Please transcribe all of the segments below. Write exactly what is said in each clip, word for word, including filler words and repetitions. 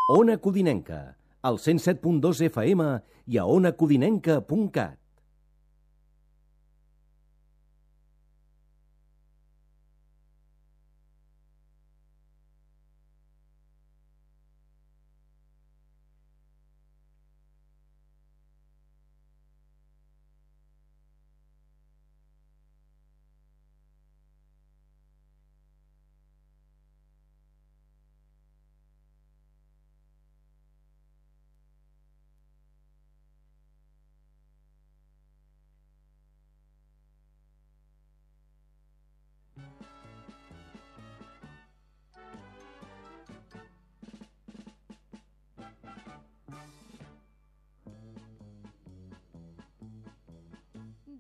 Ona Codinenca, al cent set punt dos F M i a ona codinenca punt cat.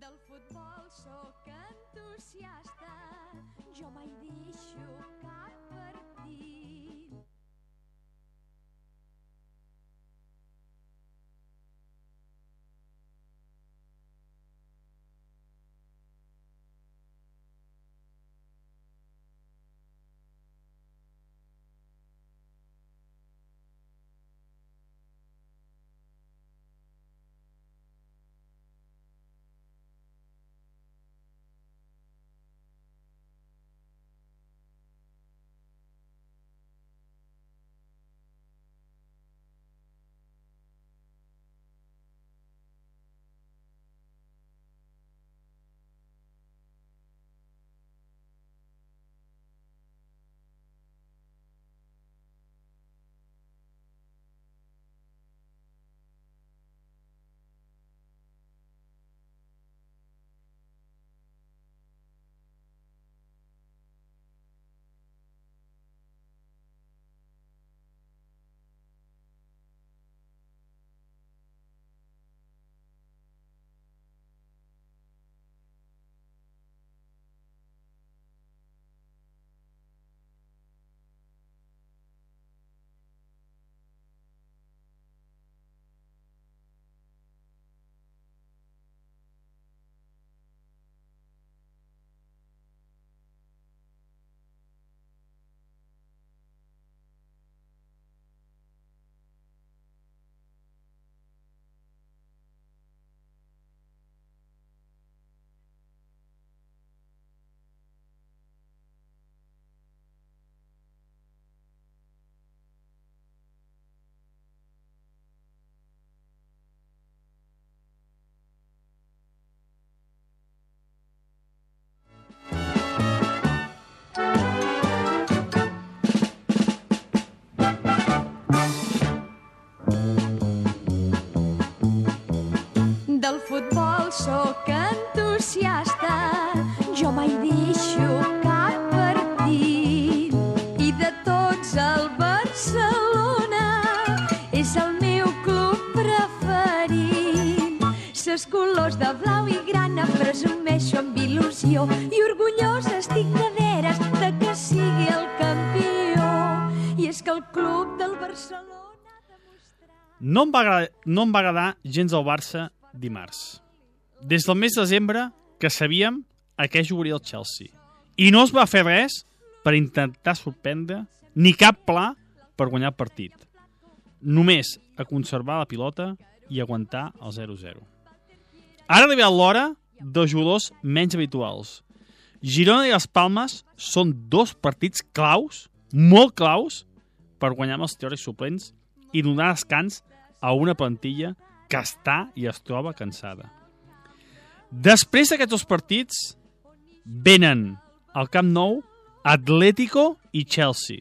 Del futbol sóc entusiasta, jo mai deixo cap partit. Del futbol sóc entusiasta, jo mai deixo cap partit. I de tots el Barcelona és el meu club preferit. Ses colors de blau i grana presumeixo amb il·lusió i orgullosa estic de veres de que sigui el campió. I és que el club del Barcelona ha demostrat... No em va agradar, no em va agradar gens el Barça dimarts. Des del mes de desembre que sabíem a què jugaria el Chelsea. I no es va fer res per intentar sorprendre ni cap pla per guanyar el partit. Només a conservar la pilota i aguantar el zero zero. Ara ha arribat l'hora de jugadors menys habituals. Girona i les Palmes són dos partits claus, molt claus, per guanyar amb els teòrics suplents i donar descans a una plantilla que està i es troba cansada. Després d'aquests dos partits venen al Camp Nou Atlético i Chelsea.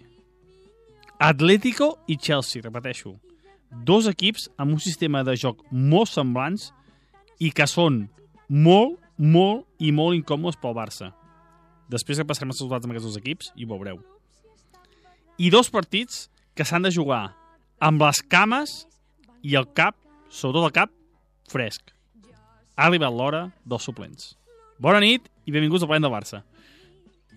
Atlético i Chelsea, repeteixo. Dos equips amb un sistema de joc molt semblants i que són molt, molt i molt incòmodes pel Barça. Després que passarem els resultats amb aquests dos equips i ho veureu. I dos partits que s'han de jugar amb les cames i el cap, sobretot el cap, fresc. Ha arribat l'hora dels suplents. Bona nit i benvinguts al Parlem del Barça.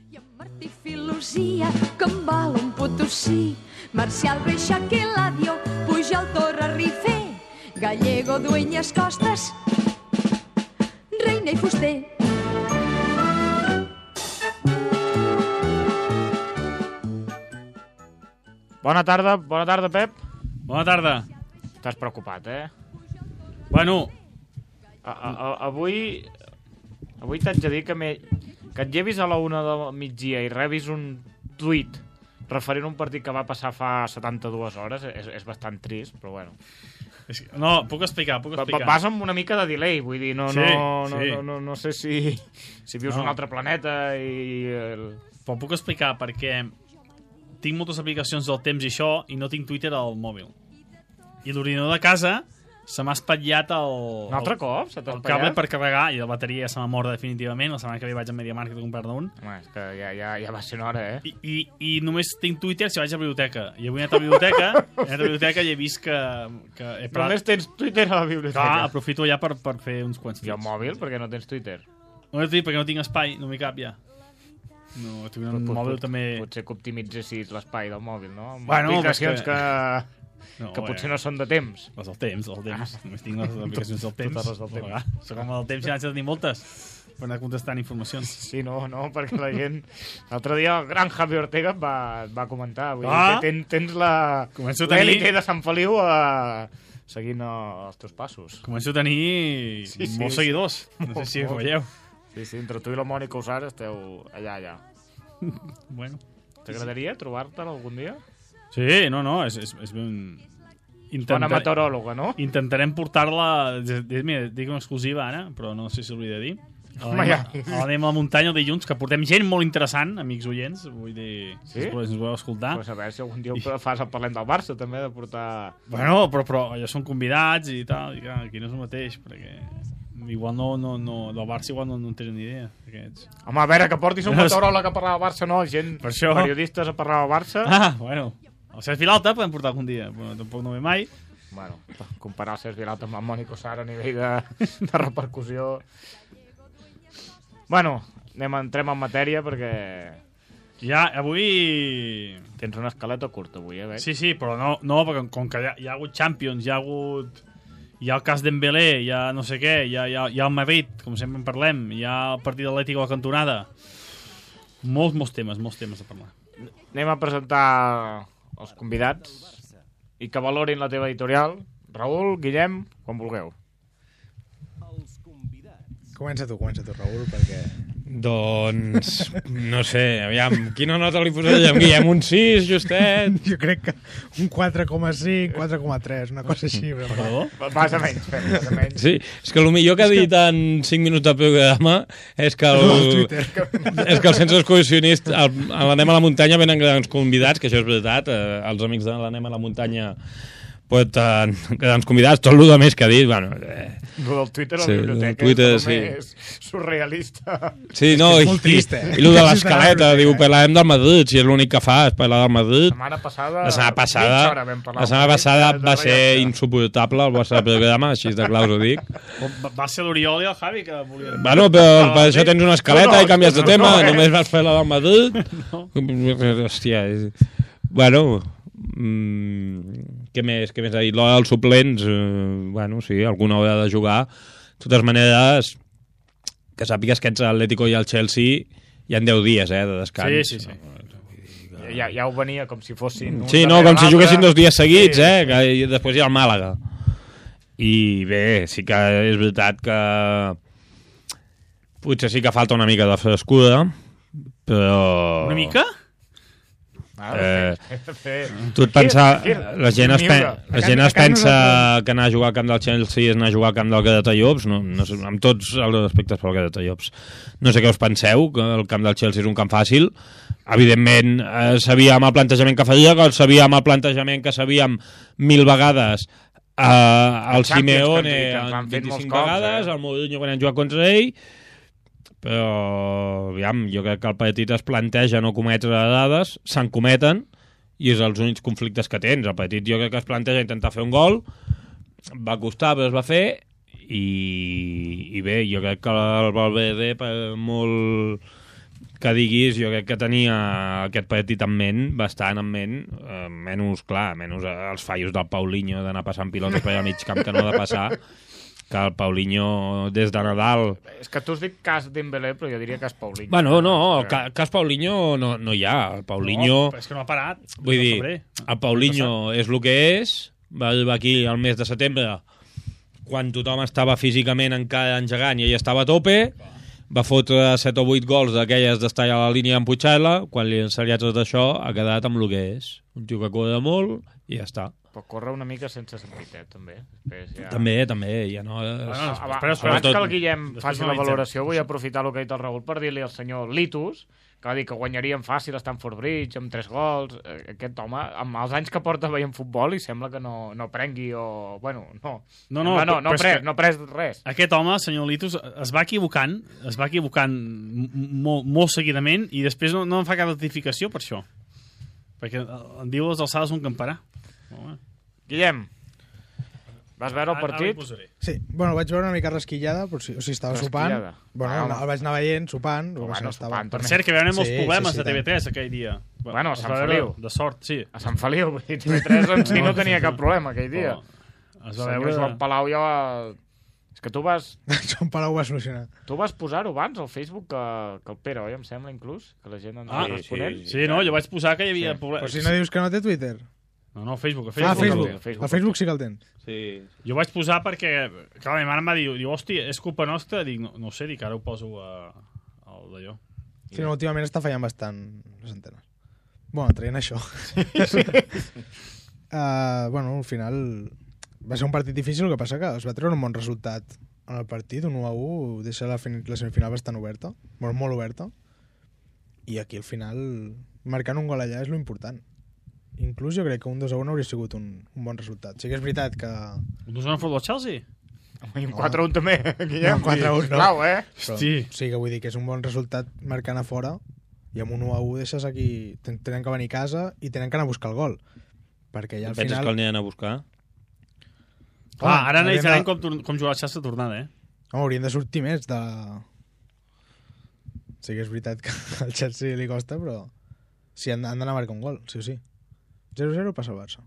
I en Martí Filosia, que em val un Potosí, Marcial Reixac i Eladio, Pujol, Torra, Rifé, Gallego, Dueñas, Costas, Reina i Fuster. Bona tarda, bona tarda, Pep. Bona tarda. Estàs preocupat, eh? Bueno... A, a, a, avui... Avui t'haig de dir que, que et llevis a la una del migdia i rebis un tuit referint a un partit que va passar fa setanta-dues hores, és, és bastant trist, però bueno. No, puc explicar, puc explicar. Vas amb una mica de delay, vull dir, no, sí, no, sí. no, no, no sé si, si vius no. un altre planeta i... El... Però puc explicar perquè tinc moltes aplicacions del temps i això i no tinc Twitter al mòbil. I l'ordinador de casa se m'ha espatllat el... Un altre el, cop? Se el cable per carregar i la bateria se m'ha mort definitivament. La setmana que ve vaig a MediaMarkt a comprar-ne un. Home, és que ja, ja, ja va ser una hora, eh? I, i, I només tinc Twitter si vaig a la biblioteca. I avui he anat a la biblioteca, he anat a la biblioteca i he vist que... que he parat... Només tens Twitter a la biblioteca. Clar, aprofito ja per, per fer uns quants tuits. I el mòbil? Perquè no tens Twitter? No he dit perquè no tinc espai, no m'hi cap ja. No, tinc un mòbil pot, també... Potser que optimitzessis l'espai del mòbil, no? Amb bueno, aplicacions que... que... No, que potser eh. no són de temps. Les del temps, el temps. Ah. Només tinc les aplicacions del temps. Totes les del temps. Soc com el temps i n'haig de tenir moltes per anar contestant informacions. Sí, no, no, perquè la gent... L'altre dia el gran Javi Ortega va, va comentar. Vull ah. dir, tens, tens la l'èlite de Sant Feliu a... seguint els teus passos. Començo a tenir sí, sí, molts seguidors. No sé si ho veieu. Sí, sí, entre tu i la Mònica Usar esteu allà, allà. Bueno. T'agradaria trobar-te'l algun dia? Sí, no, no, és, és, és ben... Intentar... Bona meteoròloga, no? Intentarem portar-la... Mira, dic una exclusiva ara, però no sé si s'hauria de dir. Anem, ja. anem a la muntanya el dilluns, que portem gent molt interessant, amics oients. Vull dir, sí? si ens voleu escoltar. Pues a veure si algun dia I... fas el Parlem del Barça, també, de portar... Bueno, però, però ja són convidats i tal, i clar, aquí no és el mateix, perquè... Igual no, no, no, del Barça igual no, no en tenen ni idea. Aquests. Home, a veure, que portis un meteoròleg a parlar del Barça, no? Gent, periodistes a parlar del Barça. Ah, bueno... El Cesc Vilalta podem portar algun dia, però tampoc no ve mai. Bueno, comparar el Cesc Vilalta amb el Mònic Osar a nivell de, de repercussió... Bueno, anem, entrem en matèria perquè... Ja, avui... Tens una escaleta curta avui, eh, veig? Sí, sí, però no, no perquè com que hi ha, hi ha hagut Champions, hi ha hagut... Hi ha el cas Dembélé, hi ha no sé què, hi ha, hi ha, hi ha el Madrid, com sempre en parlem, hi ha el partit atlètic a la cantonada. Molts, molts temes, molts temes a parlar. Anem a presentar... els convidats i que valorin la teva editorial. Raül, Guillem, quan vulgueu. Comença tu, comença tu, Raül, perquè... Doncs, no sé, aviam, quina nota li posaríem, Guillem? Un sis, justet? Jo crec que un quatre coma cinc, quatre coma tres, una cosa així. Perdó? Vas a menys, vas a menys. Sí, és que el millor que ha dit en cinc minuts de programa és que el, és que el Sense Excursionist, a l'Anem a la Muntanya venen grans convidats, que això és veritat, eh, els amics de l'Anem a la Muntanya pot eh, grans convidats, tot el que més que ha dit, bueno... Eh, el del Twitter a la sí, biblioteca Twitter, és sí. més surrealista. Sí, no, és i, molt trist, eh? i, i el de l'escaleta, diu, parlarem del Madrid, si és l'únic que fa, és parlar del Madrid. La setmana passada, la setmana passada, la setmana passada va ser insuportable el vostre programa, així de clar us ho dic. Va ser l'Oriol i el Javi que volien... Bueno, però per això tens una escaleta no, no, i canvies de tema, no, no, eh? Només vas fer la del Madrid. No. Hòstia, és... Bueno... Mm, què més, què més ha dit? L'hora dels suplents, eh, bueno, sí, alguna hora de jugar. De totes maneres, que sàpigues que ets l'Atlético i el Chelsea hi ha deu dies, eh, de descans. Sí, sí, sí. Ja, ja ho venia com si fossin... Sí, no, com si juguessin dos dies seguits, sí, eh, que i després hi ha el Màlaga. I bé, sí que és veritat que potser sí que falta una mica de frescura, però... Una mica? Ah, eh, tu et pensa, la gent es, pen, la gent es pensa que anar a jugar al camp del Chelsea és anar a jugar al camp del Gratallops, no, no sé, amb tots els respectes pel Gratallops, no sé què us penseu, que el camp del Chelsea és un camp fàcil. Evidentment eh, sabíem el plantejament que faria, que sabíem el plantejament que sabíem mil vegades eh, el Simeone vint-i-cinc vegades, el Mourinho quan hem jugat contra ell, però aviam, jo crec que el partit es planteja no cometre dades, se'n cometen i és els únics conflictes que tens. El partit jo crec que es planteja intentar fer un gol, va costar però es va fer i, i bé, jo crec que el Valverde, per molt que diguis, jo crec que tenia aquest partit en ment, bastant en ment, eh, menys, clar, menys els fallos del Paulinho d'anar passant pilotes per allà al mig camp que no ha de passar, que el Paulinho des de Nadal... És que tu has dit cas Dembélé, però jo diria cas Paulinho. Bueno, no, el ca cas Paulinho no, no hi ha. El Paulinho... No, però és que no ha parat. Vull dir, el Paulinho és el que és, Va arribar aquí al mes de setembre, quan tothom estava físicament encara engegant i ell estava a tope, va fotre set o vuit gols d'aquelles d'estar a la línia amb Puigcela, quan li han ensenyat tot això ha quedat amb el que és. Un tio que corre molt i ja està. Pot córrer una mica sense sentit, eh, també. Després ja... També, també, ja no... És... Bueno, Abans, espera, espera, abans que el Guillem Després faci la analitzem. valoració, vull aprofitar el que ha dit el Raül per dir-li al senyor Litus, que va dir que guanyarien fàcil a Stamford Bridge amb tres gols. Aquest home, amb els anys que porta veient futbol, i sembla que no, no prengui o... Bueno, no. No, no, no, no, no, però és pres, que- no pres res. Aquest home, senyor Litus, es va equivocant, es va equivocant m- molt, molt seguidament i després no, no em fa cap notificació per això. Perquè em diu les alçades un camperà. Home. Guillem, vas veure el Ara- ara partit? hi posaré. Sí, bueno, vaig veure una mica rasquillada, però sí, o sigui, estava sopant. Rasquillada. Bueno, Ah, el, home. el vaig anar veient, sopant. Però bueno, bueno, estava... sopant Per també. cert, que hi va haver molts Sí, problemes sí, sí, a T V tres aquell dia. Bueno, a Es Sant va veure Feliu. De sort, sí. A Sant Feliu, vull dir, T V tres en si no tenia cap problema aquell dia. Però es El va senyor veure... Joan Palau ja va... És que tu vas, Joan Palau ho va solucionar. tu vas posar-ho abans al Facebook que, que el Pere, oi? Em sembla, inclús, que la gent ens Ah, va responent. Sí, no, jo vaig posar que hi havia Sí. Però problemes. si no dius que no té Twitter. No, no, Facebook. A Ah, Facebook. Facebook. el Facebook. El Facebook sí que el tens. Sí. Jo vaig posar perquè... Clar, la meva mare em va dir, diu, hòstia, és culpa nostra? Dic, no, no ho sé, dic, ara ho poso a, al d'allò. Sí, no, últimament està fallant bastant les antenes. Bueno, traient això. uh, bueno, al final va ser un partit difícil, el que passa que es va treure un bon resultat en el partit, un u a u, deixa la, fin- la semifinal bastant oberta, molt, molt oberta, i aquí al final marcant un gol allà és lo important. Inclús jo crec que un dos a un hauria sigut un, un bon resultat. Sí que és veritat que... Un dos a un futbol Chelsea? I un quatre a un també, Guillem. No, quatre a un no. Clau, eh? Però, Hosti. sí que vull dir que és un bon resultat marcant a fora i amb un u a u deixes aquí... ten- Tenen que venir a casa i tenen que anar a buscar el gol. Perquè ja al Penses final... que el aniran a buscar? Clar, ara haurien analitzarem de- com, tor- com jugar el Chelsea a tornada, eh? Home, haurien de sortir més de... Sí que és veritat que al Chelsea li costa, però sí, han, han d'anar a marcar un gol, sí o sí. zero a zero passa el Barça.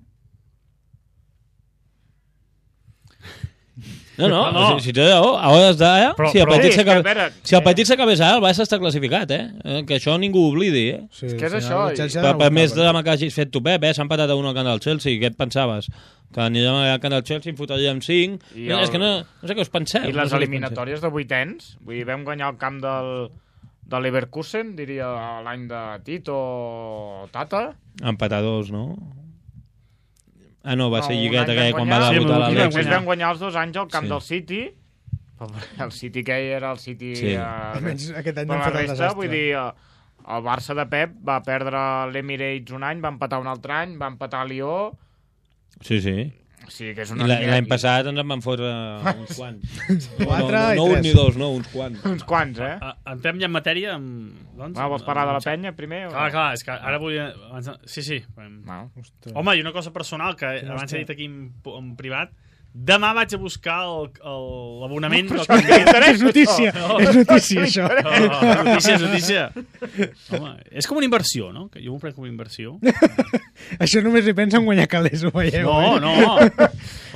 No, no, No. si, si té raó, a hores d'ara, Però- si el però- partit Sí, és que, a s'acaba- veure, si el eh, partit s'acabés ara, el Barça està classificat, eh? Eh, Que això ningú ho oblidi, eh? Sí, És que és al final això, el Chelsea ha Per, d'anar a per buscar més el gol. drama que hagis fet tu, Pep, eh? S'ha empatat a un al camp del Chelsea, què et pensaves? Que anirem al camp del Chelsea, en fotríem cinc... I No, el- és que no, no sé què us penseu. I no les sé què us eliminatòries de vuitens, vull dir, vam guanyar el camp del, de Leverkusen, diria l'any de Tito o Tata. penseu. Empatadors, no? Ah, no, va No, ser un lligueta any aquella vam quan guanyar- va Sí, debutar però I l'Alexis. després l'Alexis. vam guanyar els dos anys al camp Sí. del City. El City que era el City... Sí. Eh, Almenys aquest any però no la han fet el resta, desastre. vull dir, eh, el Barça de Pep va perdre l'Emirates un any, va empatar un altre any, va empatar a Lió... Sí, sí. O sigui que és I una... la- liga l'any aquí. passat ens en van fotre uns quants. Quatre no, no, i no un tres. ni dos, no, uns quants. Uns quants, eh? A, entrem ja en matèria amb... Doncs, Va, vols parlar de la amb- penya primer? O... Clar, clar, és que ara volia... abans- Sí, sí. No. Ostres. Home, i una cosa personal que abans he dit aquí en, en privat. Demà vaig a buscar el- el- l'abonament del Això què interessa, És notícia, No. és notícia, això. Oh, notícia, és notícia. Home, és com una inversió, no? Que jo m'ho prenc com una inversió. Això només hi pensa en guanyar calés, ho veieu. No, eh? no.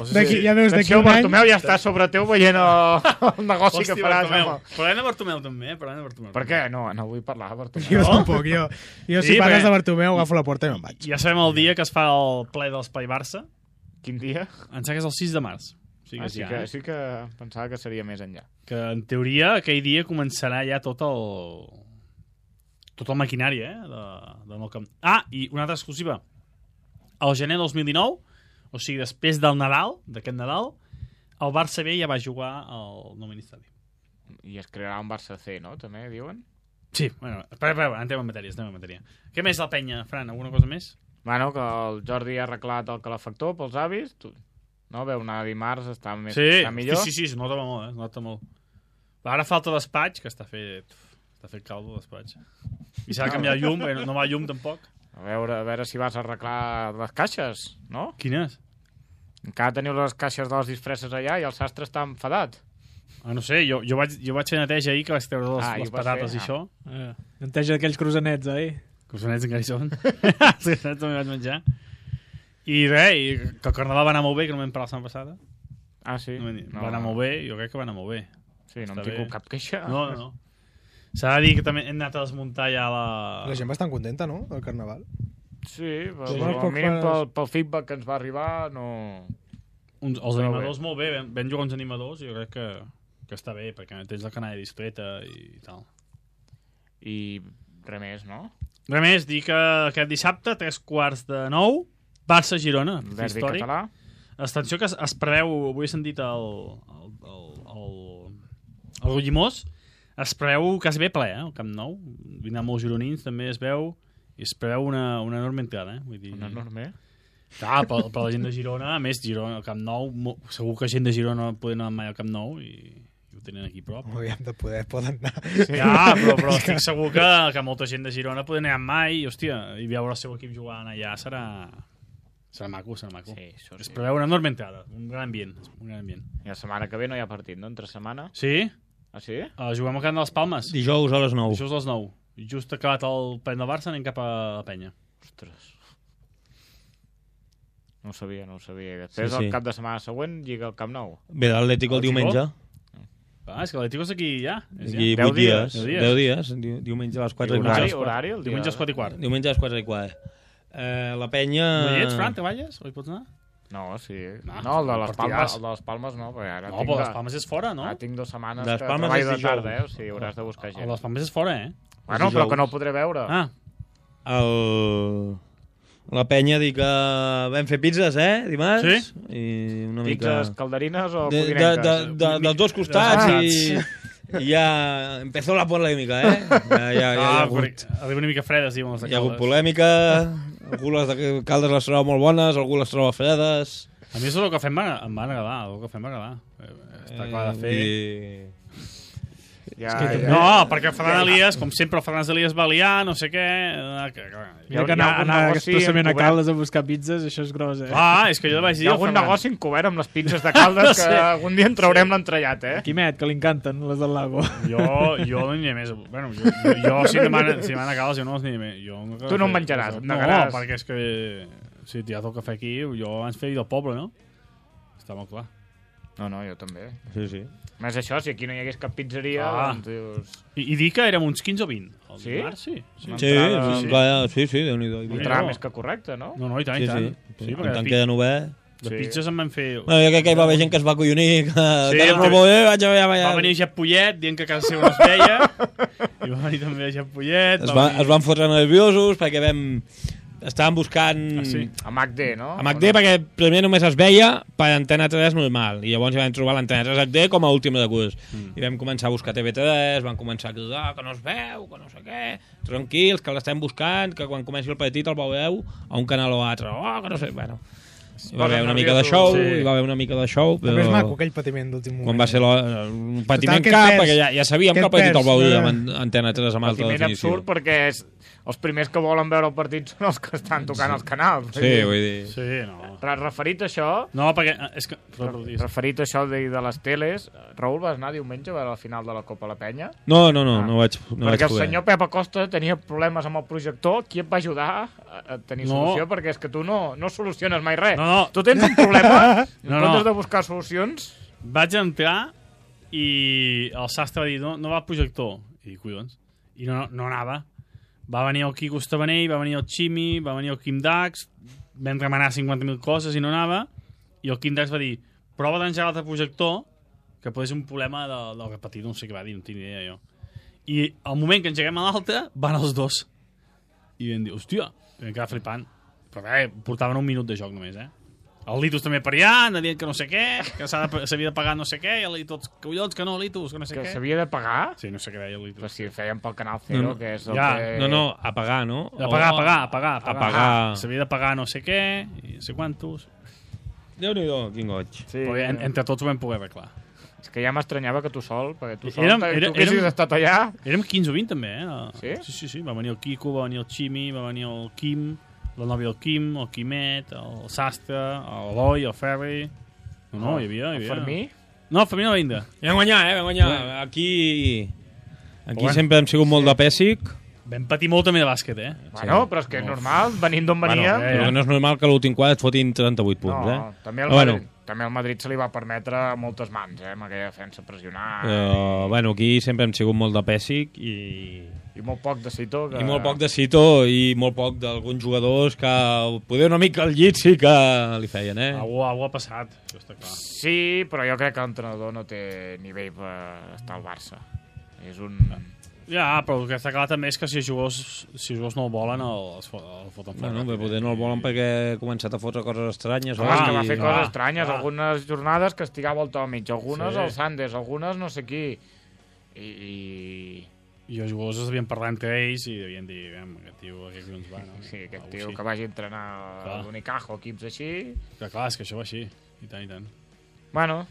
D'aquí, ja veus, d'aquí Atenció, un any... Bartomeu ja està sobre teu veient el, el negoci Hòstia, que faràs. Bartomeu. Home. Parlem de Bartomeu, també, eh? Parlem de Bartomeu. Per què? No, no vull parlar de Bartomeu. Jo No? tampoc, jo. Jo si Sí, parles perquè- de Bartomeu agafo la porta i me'n vaig. Ja sabem el dia que es fa el ple de l'Espai Barça. Quin dia? Em sembla que és el sis de març. O sigui, Ah, que sí, ja, que, eh? sí que pensava que seria més enllà. Que en teoria aquell dia començarà ja tot el... tot el maquinari, eh? De, de nou camp. Ah, i una altra exclusiva. Al gener dos mil dinou, o sigui, després del Nadal, d'aquest Nadal, el Barça B ja va jugar al nou Ministeri. I es crearà un Barça C, no? També, diuen? Sí, bueno, espera, espera, entrem en matèria, entrem en matèria. Què més la penya, Fran? Alguna cosa més? Bueno, que el Jordi ha arreglat el calefactor pels avis. Tu... No, veu anar dimarts, està, més, Sí, està millor. sí, sí, sí, es nota molt, eh? Es nota molt. Ara falta despatx, que està fet... Està fet caldo, despatx. I s'ha de canviar llum, eh? no va llum tampoc. A veure, a veure si vas a arreglar les caixes, no? Quines? Encara teniu les caixes de les disfresses allà i el sastre està enfadat. Ah, no sé, jo, jo, vaig, jo vaig fer neteja ahir, que vaig treure les, Ah, i les ho vas patates fer? i això. Eh, neteja d'aquells cruzanets, oi? Que us anets encara hi són. Els cruzanets també vaig menjar. I res, i que el carnaval va anar molt bé, que no vam parlar la setmana passada. Ah, sí? No, va anar molt bé, jo crec que va anar molt bé. Sí, no Està hem tingut bé. cap queixa. No, no, no. S'ha de dir que també hem anat a desmuntar ja la... La gent bastant contenta, no?, del carnaval. Sí, però, Sí. però al mínim pel, pel feedback que ens va arribar, no... Uns, els Però animadors molt bé, ben, ben jugar uns animadors, jo crec que, que està bé, perquè tens la canalla discreta i tal. I res més, no? Res més, dir que aquest dissabte, tres quarts de nou, Barça-Girona, Derbi històric. català. Atenció que es, es preveu, avui he sentit el, el, el, el, el Rullimós, es preveu quasi bé ple, eh, el Camp Nou. Vindran molts gironins, també es veu, i es preveu una, una enorme entrada. Eh? Vull dir, Una enorme. clar, per, per la gent de Girona, a més, Girona, el Camp Nou, mo, segur que gent de Girona no poden anar mai al Camp Nou i, i ho tenen aquí a prop. Hauríem de poder, poden anar. Sí. Ja, però, però estic segur que, que molta gent de Girona poden anar mai i, hòstia, i veure el seu equip jugant allà serà... Serà maco, serà maco. Sí, això Es sí. preveu una enorme entrada, un gran ambient. Un gran ambient. I la setmana que ve no hi ha partit, no? Entre setmana. Sí? Ah, sí? Uh, juguem al camp de les Palmes. Dijous a les nou. Dijous a les nou. Just acabat el plen del Barça, anem cap a la penya. Ostres. No ho sabia, no ho sabia. Després, Sí, el sí. cap de setmana següent, lliga al Camp Nou. Ve l'Atlético el El Gijón? diumenge. Ah, és que l'Atlético és aquí ja. És ja. Aquí Deu vuit dies. dies. Deu dies. Diu- Diumenge a les quatre i Horari, quart. horari, el dia... Diumenge a les quatre i quart. Diumenge a les quatre i quart. Eh, la penya... No hi ets, Fran? Treballes? O hi pots anar? No, sí. No, No, el de les partidàs. Palmes, el de les Palmes no, perquè ara No, tinc, però de, les Palmes és fora, no? ara tinc dues setmanes Les que Palmes treballo és de tarda, dijous. eh? O sigui, hauràs de buscar El gent. de les Palmes és fora, eh? Bueno, però dijous. que no ho podré veure. Ah, El... La penya diu que vam fer pizzas, eh, dimarts? Sí? I una mica... Pizzas calderines o De, de, codinenques? de, de, dels dos costats i, i ja empezó la polèmica, eh? Ja, ja, ja, hi ha ah hagut, perquè arriba una mica fredes, diuen els de hi ha hagut Caldes. polèmica, algú les de Caldes les troba molt bones, algú les troba fredes... A mi és el que fem m'ha- em va agradar, el que fem m'agradar. Està clar de fer... I... Ja, que ja, No, perquè el Ferran Elias, com sempre, el Ferran Elias va liar, no sé què... eh, Que, clar, Mira Hi ha- que hi ha anar, algun anar negoci expressament a encobert. Caldes a buscar pizzas, això és gros, eh? ah, és que jo li vaig hi dir... ha al algun Ferran, negoci encobert amb les pizzas de Caldes que Sí. algun dia en traurem l'entrellat, eh? Quimet, que li encanten, les del lago. Jo, jo no n'hi ha més. Bueno, jo, jo, jo si demana, si demana cales, jo no els n'hi ha més. Jo no Tu no en menjaràs, en No, negaràs. perquè és que... Si ja toca fer aquí, jo abans feia del poble, no? Està molt clar. No, no, jo també. Sí, sí. Més això, si aquí no hi hagués cap pizzeria, Ah. doncs dius... I, I dir que érem uns quinze o vint. El Sí? dimarts, sí. sí. Una Sí, entrada- sí, clar, sí, sí, Déu-n'hi-do. Sí. Entrada no. més que correcte, no? No, no, i tant, Sí, i tant. sí. Sí, En perquè tant de, queda pi obert... de pizzas en van fer... Bueno, jo crec que hi va haver gent que es va acollonir, que, Sí, que el no que- molt bé, vaig a veure... Va venir Jep Pollet dient que a casa seva no es veia. I va venir també Jep Pollet. Es, va va, venir... es van fotre nerviosos perquè vam... Estàvem buscant... Ah, sí? A MacD, no? A MacD perquè primer només es veia per Antena tres normal i llavors vam trobar l'Antena tres H D com a últim recurs mm. i vam començar a buscar T V tres, vam començar a cridar que no es veu, que no sé què, tranquils, que l'estem buscant, que quan comenci el partit el veureu a un canal o altre, oh, que no sé, bueno hi va haver una mica de show, Sí. hi va haver una mica de show, però També és maco, aquell patiment d'últim moment. quan va ser lo- un patiment Total, què et cap, perds? perquè ja, ja sabíem Què que el et partit el perds? veuríem Eh. en Antena tres amb alta Patiment definició. absurd perquè és, els primers que volen veure el partit són els que estan tocant els canals. Sí, vull dir... Sí, no. Re- Referit a això, No, perquè... eh, És que... re- referit a això de, de les teles, Raül, vas anar diumenge a veure la final de la Copa la Penya? No, no, no, Ah. no vaig, no vaig perquè el poder. senyor Pep Acosta tenia problemes amb el projector, qui et va ajudar a, a tenir No. solució? Perquè és que tu no, no soluciones mai res. No, no. Tu tens un problema, No, no, no. no. de buscar solucions... Vaig entrar i el sastre va dir no, no va al projector. I dic, collons. I no, no anava. Va venir el Quico Estabanell, va venir el Ximi, va venir el Quim Dax, vam remenar cinquanta mil coses i no anava. I el Quim Dax va dir, prova d'engegar l'altre projector, que pot ser un problema del, del repetit, no sé què va dir, no tinc idea jo. I al moment que engeguem a l'altre, van els dos. I vam dir, hòstia, i vam quedar flipant. Però bé, portaven un minut de joc només, eh? El Litus també per allà, anava dient que no sé què, que s'ha de- s'havia de pagar no sé què, i el Litus, collons, que no, Litus, que no sé Que què. s'havia de pagar? Sí, no sé què deia el Però Litus. si feien pel Canal Cero, No, no. que és el Ja. que... No, no, a pagar, no? A pagar, a O- pagar, a pagar, a pagar. A pagar. S'havia de pagar no sé què, i no sé quantos. Déu-n'hi-do, quin goig. Sí, Però en, entre tots ho vam poder arreglar. és que ja m'estranyava que tu sol, perquè tu sol, Érem- tu era- haguessis érem- estat allà... Érem quinze o vint també, eh? Sí? Sí, sí, sí. Va venir el Quico, va venir el Ximi, va venir el Quim, la nòvia del Quim, el Quimet, el Sastre, l'Eloi, el Ferri... No, no, hi havia, hi El havia. Fermí? No, el Fermí no va vindre. Vam guanyar, eh? Vam guanyar. Aquí... Aquí Bueno. sempre hem sigut molt de pèssic. Vam patir molt també de bàsquet, eh? Bueno, però és que és normal, venint d'on Bueno, veníem. eh, Però que no és normal que l'últim quart et fotin trenta-vuit punts, no, eh? també el, Però Madrid, bueno. també el Madrid se li va permetre moltes mans, eh, amb aquella defensa pressionant. Però, bueno, aquí sempre hem sigut molt de pèssic i... I molt poc de Cito. Que... I molt poc de Cito i molt poc d'alguns jugadors que poder una mica al llit sí que li feien, eh? Algú, algú ha passat, això està clar. Sí, però jo crec que l'entrenador no té nivell per estar al Barça. És un... Ja, però el que està clar també és que si els jugadors, si els jugadors no el volen, el, el foten fora. Bueno, però poder no el volen perquè ha començat a fotre coses estranyes. Ah, oi? que va fer I- coses ah, estranyes, ah. algunes jornades que estigava al Tomic, algunes Sí. al Sanders, algunes no sé qui. I... i... I els jugadors es devien parlar entre ells i devien dir, "Vem, aquest tio, aquest tio ens va, no?" Sí, aquest Algú tio així. que vagi a entrenar Clar. a l'Unicajo, equips així... Que clar, és que això va així. I tant, i tant. Bueno,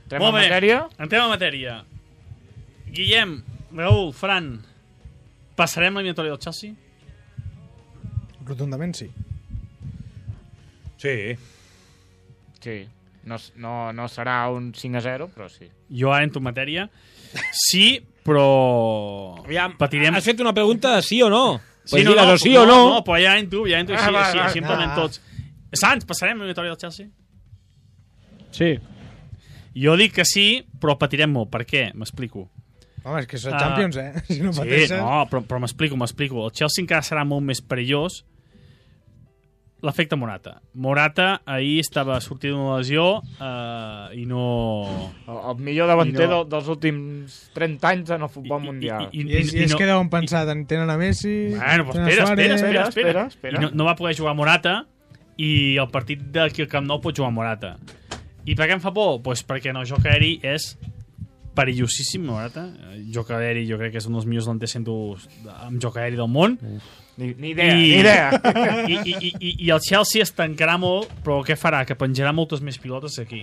entrem Molt en bé, matèria. entrem en matèria. Guillem, Raül, Fran, passarem l'eliminatòria del Chelsea? Rotundament sí. Sí. Sí, no, no, no serà un cinc a zero, però sí. Jo ara entro en matèria. Sí, però... Aviam, patirem... has fet una pregunta de sí o no? Sí, Pues no, digues no, o sí o no. No, però ja entro, ja entro així, Ah, va, així, va, així en parlem ah. tots. Sants, passarem l'eliminatòria del Chelsea? Sí. Jo dic que sí, però patirem molt. Per què? M'explico. Home, és que és el Ah. Champions, eh? Si no Sí, pateixes... no, però, però m'explico, m'explico. El Chelsea encara serà molt més perillós. L'efecte Morata. Morata ahir estava sortint d'una lesió eh, i no... El, el millor davanter I no- no... dels últims trenta anys en el futbol mundial. I, I, és, i és que deuen pensar, en tenen a Messi... Bueno, pues tenen a espera, Suárez. espera, espera, espera, espera, espera. I no, no va poder jugar Morata i el partit d'aquí al Camp Nou pot jugar Morata. I per què em fa por? Pues perquè no, joc aeri és perillosíssim, Morata. Joc aeri jo crec que és un dels millors delanters amb joc aeri del món. Ni, ni idea, I- ni idea. I, i, i, i, I el Chelsea es tancarà molt, però què farà? Que penjarà moltes més pilotes aquí.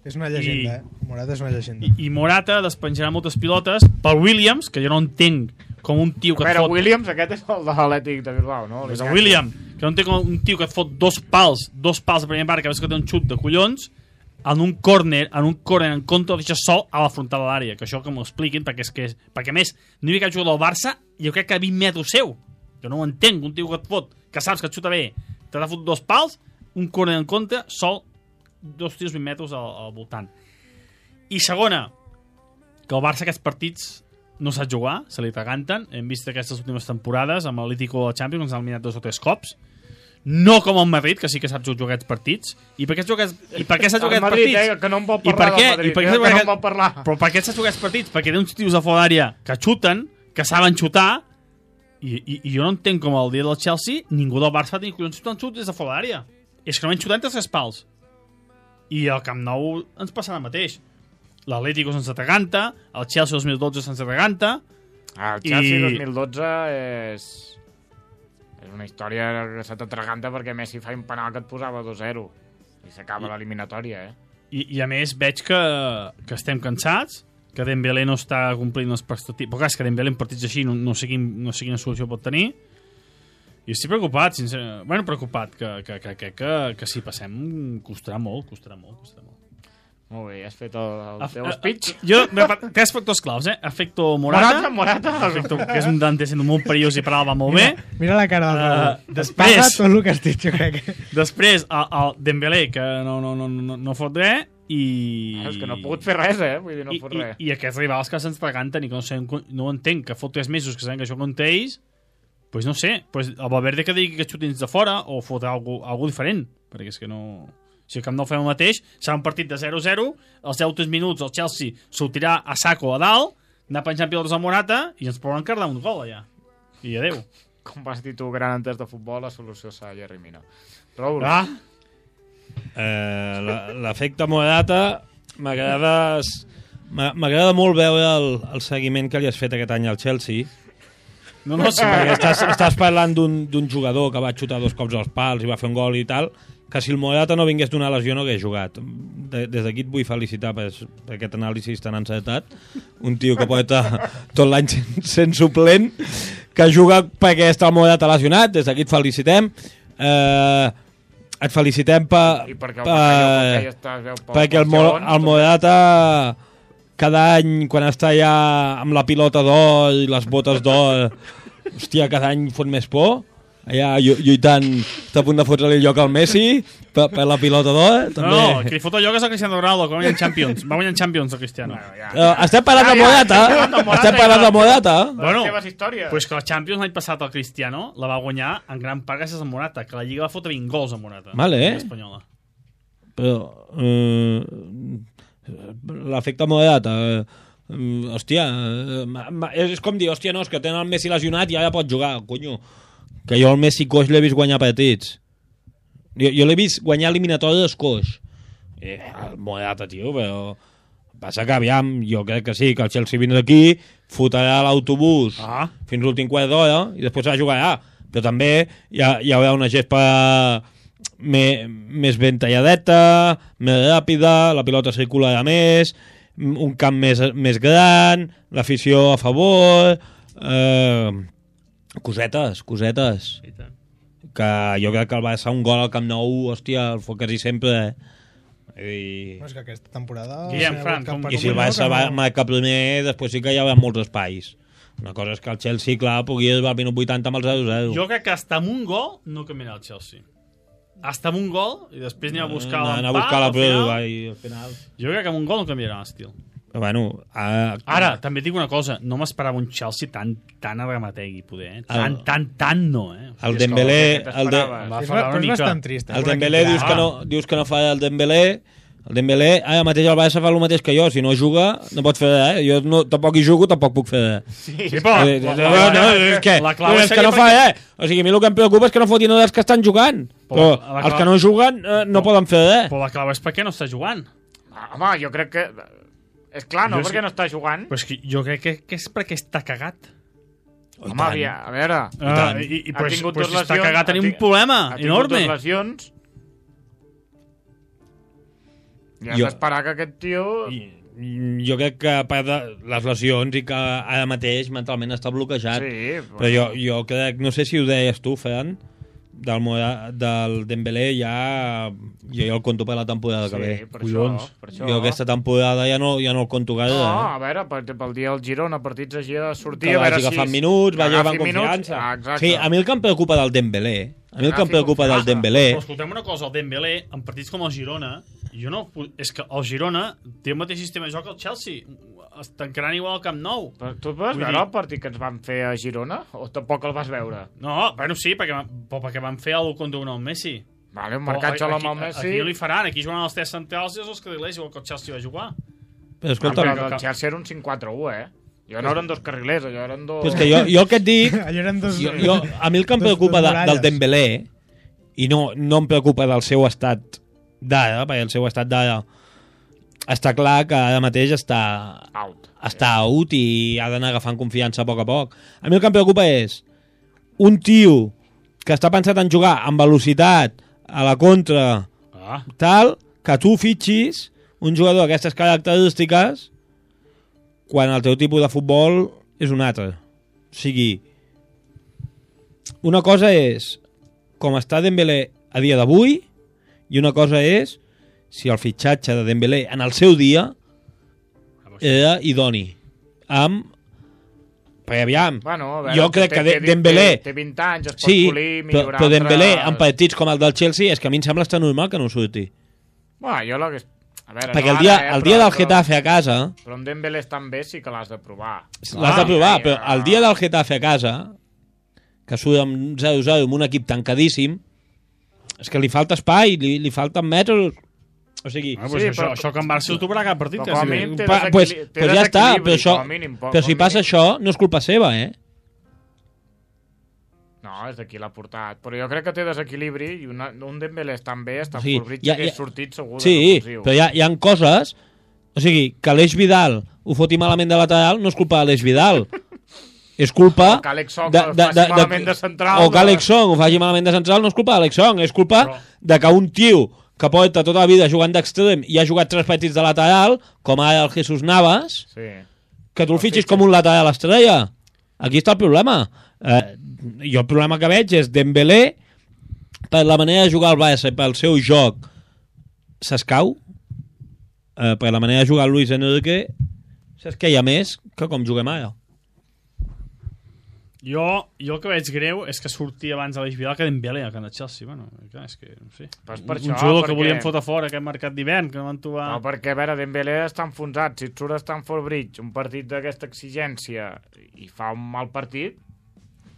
És una llegenda, I- eh? Morata és una llegenda. I, i Morata despenjarà moltes pilotes per Williams, que jo no entenc com un tio A que et veure, fot... Williams, aquest és el de l'Atlètic de Bilbao, no? Pues el William, que no té com un tio que et fot dos pals, dos pals de primer part, que veus que té un xut de collons, en un córner, en un córner en contra, el deixa sol a la frontal de l'àrea. Que això que m'ho expliquin, perquè és que... Perquè a més, no hi havia cap jugador del Barça, jo crec que a vint metres seu. Jo no ho entenc, un tio que et fot, que saps que et xuta bé, te l'ha fot dos pals, un córner en contra, sol, dos tirs vint metres al, al voltant. I segona, que el Barça aquests partits no sap jugar, se li traganten. Hem vist aquestes últimes temporades amb l'Atlético del Champions, ens ha eliminat dos o tres cops. No com el Madrid, que sí que sap jugar aquests partits. I per què, jugat, i per què s'ha jugat El aquests Madrid, partits? eh, que no en vol I per parlar què? del Madrid, I per què eh, s'ha que jugat no en aquest- vol parlar. Però per què s'ha jugat aquests partits? Perquè té uns tios a fora d'àrea que xuten, que saben xutar, i, i, i jo no entenc com el dia del Chelsea ningú del Barça va tenir collons xutant xut des de fora d'àrea. És que no van xutar entre tres pals. I al Camp Nou ens passarà el mateix. L'Atlético se'ns atraganta, el Chelsea dos mil dotze se'ns atraganta. Ah, el Chelsea I- dos mil dotze és... És una història que se t'atraganta perquè Messi fa un penal que et posava dos zero i s'acaba l'eliminatòria, eh? I, I a més veig que, que estem cansats, que Dembélé no està complint les expectatives. Però clar, és que Dembélé en partits així no, no, sé quin, no sé quina solució pot tenir. I estic preocupat, sincerament. Bueno, preocupat, que, que, que, que, que, que si passem costarà molt, costarà molt, costarà molt. Molt bé, has fet el, el Af- teu eh, speech. Jo, tres factors claus, eh? Efecto Morata, Morata, Morata. efecto, que és un dante sent molt perillós i per alt va molt bé. Mira, mira la cara del Uh, Raül. després- Paga tot el que has dit, jo crec. Després, el, el Dembélé, que no, no, no, no, no fot res, i... Ah, és que no ha pogut fer res, eh? Vull dir, no I, fot i, res. I aquests rivals que se'ns traganten i que no, sé, no ho entenc, que fot tres mesos que sabem que això contra ells, pues no sé, pues el Valverde que digui que xutin de fora o fotrà algú, algú diferent, perquè és que no... Si el Camp Nou fem el mateix, serà un partit de zero a zero, als deu minuts el Chelsea sortirà a saco a dalt, anar penjant pilotes a Morata i ens podran cardar un gol allà. I adeu. Com vas dir tu, gran entès de futbol, la solució serà Jerry Mina. Raül, Ah, Eh, la- L'efecte Morata m'agrada m'a- m'agrada molt veure el, el seguiment que li has fet aquest any al Chelsea, no, no, sí, perquè estàs, estàs parlant d'un d'un jugador que va xutar dos cops als pals i va fer un gol i tal, que si el Morata no vingués d'una lesió no hagués jugat. De, des d'aquí et vull felicitar per, per aquest anàlisi tan encertat. Un tio que porta tot l'any sent, sent suplent, que juga perquè està el Morata lesionat, des d'aquí et felicitem. Eh, et felicitem per, i perquè el per, Bacalló ja està, es veu pel- perquè el, pel Mo, segon, el també. Morata cada any quan està ja amb la pilota d'or i les botes d'or hòstia, cada any fot més por, allà lluitant, està a punt de fotre-li el lloc al Messi per, per la pilota d'or. No, no, que li fot el lloc és el Cristiano Ronaldo, que va guanyar Champions. Va guanyar Champions el Cristiano. Bueno, ja. Uh, estem parlant de Morata. Estem parlant de Morata. Bueno, les teves històries. pues que la Champions l'any passat el Cristiano la va guanyar en gran part gràcies a Morata, que la Lliga va fotre vint gols a Morata. Vale, eh? Espanyola. Però uh, l'efecte Morata, uh, hòstia, uh, és com dir, hòstia, no, és que tenen el Messi lesionat i ara pot jugar, conyo. Que jo el Messi coix l'he vist guanyar partits. Jo, jo l'he vist guanyar eliminatòries coix. Eh, el Morata, tio, però... Passa que, aviam, jo crec que sí, que el Chelsea vindrà aquí, fotrà l'autobús Ah. fins l'últim quart d'hora i després s'ha de jugar allà. Però també hi, ha, hi haurà una gespa més, més ben talladeta, més ràpida, la pilota circularà més, un camp més, més gran, l'afició a favor... Eh, cosetes, cosetes. Que jo crec que el Barça un gol al Camp Nou, hòstia, el fot quasi sempre, eh? I, No, és que aquesta temporada... Guillem, Fran, com- i si el Barça va marcar primer, després sí que hi haurà molts espais. Una cosa és que el Chelsea, clar, pugui arribar al minut vuitanta amb el zero zero. Jo crec que hasta amb un gol no canviarà el Chelsea. Hasta amb un gol i després anem a buscar Anar l'empat. a buscar la al final. pròrroga i al final... Jo crec que amb un gol no canviarà l'estil. Però bueno... A... Ara, també et dic una cosa, no m'esperava un Chelsea tan, tan arramategui, poder, eh? Tan, El- tan, tan no, eh? El Dembélé... que El, de, t'esperaves. Va És, fallar però una és mica. bastant trist. eh, el per Dembélé aquí. dius que, no, dius que no fa el Dembélé... El Dembélé, ara mateix el Barça fa el mateix que jo. Si no juga, no pot fer res. Eh? Jo no, tampoc hi jugo, tampoc puc fer res. Sí, Sí, però... Eh, la- no, la- no, és que, la clau és que no fa res. O sigui, a mi el que em preocupa és que no fotin dels que estan jugant. Però la clau- els que no juguen eh, no poden fer res. Però la clau és per què no està jugant. Home, jo crec que... És clar, no? Jo Perquè sí. no està jugant. Però és que jo crec que, que és perquè està cagat. Oh, i Home, tant. havia, a veure... Ah, i, i, ha però, tingut però dos si està lesions, cagat ha tenim ti- un problema ha tingut enorme. dues lesions. I has Jo- d'esperar que aquest tio... I, jo crec que a part de les lesions i que ara mateix mentalment està bloquejat. Sí, Però jo, jo crec, no sé si ho deies tu, Ferran, del, Mora, del Dembélé ja jo ja el conto per la temporada que ve. Sí, per això, per això. Jo aquesta temporada ja no, ja no el conto gaire. No, eh? a veure, per, pel dia del Girona, partits així de sortir, Que a veure vagi si... agafant minuts, vagi agafant agafi minuts. confiança. Ah, exacte. Sí, a mi el que em preocupa del Dembélé, a mi el que em Agafi preocupa del confiança. Dembélé, Però escoltem una cosa, el Dembélé, en partits com el Girona, jo no, és que el Girona té el mateix sistema de joc que el Chelsea. Es tancaran igual al Camp Nou. Però tu vas Vull veure dir- el partit que ens van fer a Girona? O tampoc el vas veure? No, bueno, sí, perquè, però perquè van fer el contra un al Messi. Vale, un Però marcatge a l'home al aquí- Messi... Aquí no li faran, aquí juguen els tres centrals i els carrilers, igual que el Chelsea va jugar. però Ah, escolta, però el Chelsea era un cinc quatre u, eh? Jo no eren dos carrilers, allò eren dos... però és que jo, jo el que et dic, Allò eren dos... jo, jo, a mi el que em Dos- preocupa dos de, del muralles. Dembélé, i no, no em preocupa del seu estat d'ara, perquè el seu estat d'ara està clar que ara mateix està Out. està out i ha d'anar agafant confiança a poc a poc. A mi el que em preocupa és un tio que està pensat en jugar amb velocitat a la contra, Ah, tal, que tu fitxis un jugador d'aquestes característiques quan el teu tipus de futbol és un altre. O sigui, una cosa és com està Dembélé a dia d'avui i una cosa és si el fitxatge de Dembélé en el seu dia era idoni. Amb... Perquè aviam, Bueno, a veure, jo crec té- que té- de- Dembélé... Té, té vint anys, es pot Sí, polir, però, millorar... però Dembélé altres- en partits com el del Chelsea és que a mi em sembla estar normal que no surti. Bueno, jo la que... A veure, Perquè no el dia, ara, eh, el dia però- del Getafe a casa Però amb Dembélé estan bé, sí que l'has de provar. l'has de provar, però el dia del Getafe a casa, que surt amb zero zero amb un equip tancadíssim, és que li falta espai, li, li falten metres... O sigui, ah pues Sí, això, però- això que en Barça ho trobarà cada partit. Però que com a sí. mínim té pa, pues, desequili- té pues ja està, desequilibri, però, això, com a mínim, com però si a passa mínim. això, no és culpa seva, eh? No, és d'aquí l'ha portat. Però jo crec que té desequilibri i una, un Dembélé estan bé, està O sigui, sí, ja- ja, que ja- és sortit segur de Sí, revulsiu. però hi ha, hi ha coses... O sigui, que l'Eix Vidal ho foti malament de lateral no és culpa de l'Eix Vidal. És culpa... O que Alex Song ho faci malament de central, O que no. Alex Song ho faci malament de central no és culpa d'Alex Song, és culpa Però- de que un tio que porta tota la vida jugant d'extrem i ha jugat tres partits de lateral, com ara el Jesús Navas, Sí. que tu el fitxis com un lateral estrella. Aquí està el problema. Eh, jo el problema que veig és Dembélé, per la manera de jugar al Barça i pel seu joc, s'escau. Eh, per la manera de jugar Luis Enrique, s'esqueia més que com juguem ara. Jo, jo el que veig greu és que sortia abans de l'Eix Vidal que Dembélé al camp de Chelsea. Bueno, clar, és que, no sé. Pues per un això, jugador perquè... que volien fotre fora aquest mercat d'hivern, que no van trobar... No, perquè, a veure, Dembélé està enfonsat. Si et surt a Stamford Bridge un partit d'aquesta exigència i fa un mal partit,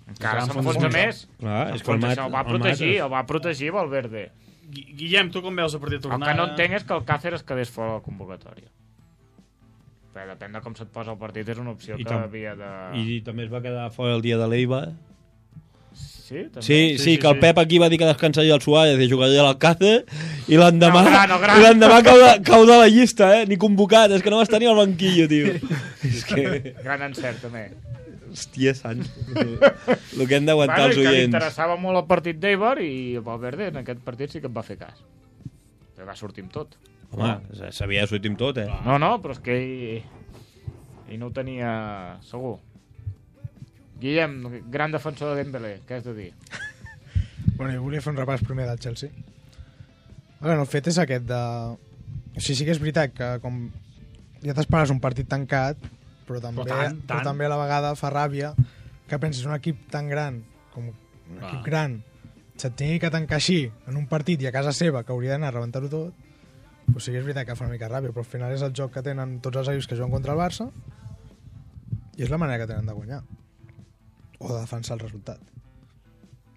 encara Està s'enfonsa enfonsat. més. Clar, és que el S'enfonsa, mat- això, el va el protegir, mates. el va protegir Valverde. Gui- Guillem, tu com veus el partit El tornada? que no entenc és que el Cáceres quedés fora de la convocatòria. Però depèn de com se't posa el partit, és una opció I que tam- havia de... I també es va quedar fora el dia de l'Eiva. Sí, també? Sí, sí, sí, sí, que el sí. Pep aquí va dir que descansaria el Suárez i jugaria a l'Alcácer i l'endemà No, gran, no, gran. i l'endemà cau, de, cau de la llista, eh? Ni convocat, és que no va estar ni al banquillo, tio. És que... Gran encert, també. Hòstia, sant. El que hem d'aguantar Bueno, els i que li oients. interessava molt el partit d'Eibar i Valverde en aquest partit sí que em va fer cas. Però va sortir amb tot. Home, s'havia de sortir amb tot, eh? No, no, però és que ell, ell no ho tenia segur. Guillem, gran defensor de Dembélé, què has de dir? Bueno, jo volia fer un repàs primer del Chelsea. Bueno, el fet és aquest de... O sigui, sí que és veritat que com ja t'esperes un partit tancat, però també, Però tant, però tant. també a la vegada fa ràbia que pensis un equip tan gran, com un equip gran, se't tingui que tancar així en un partit i a casa seva, que hauria d'anar a rebentar-ho tot, doncs sí que és veritat que fa una mica ràbia, però al final és el joc que tenen tots els equips que juguen contra el Barça i és la manera que tenen de guanyar o de defensar el resultat.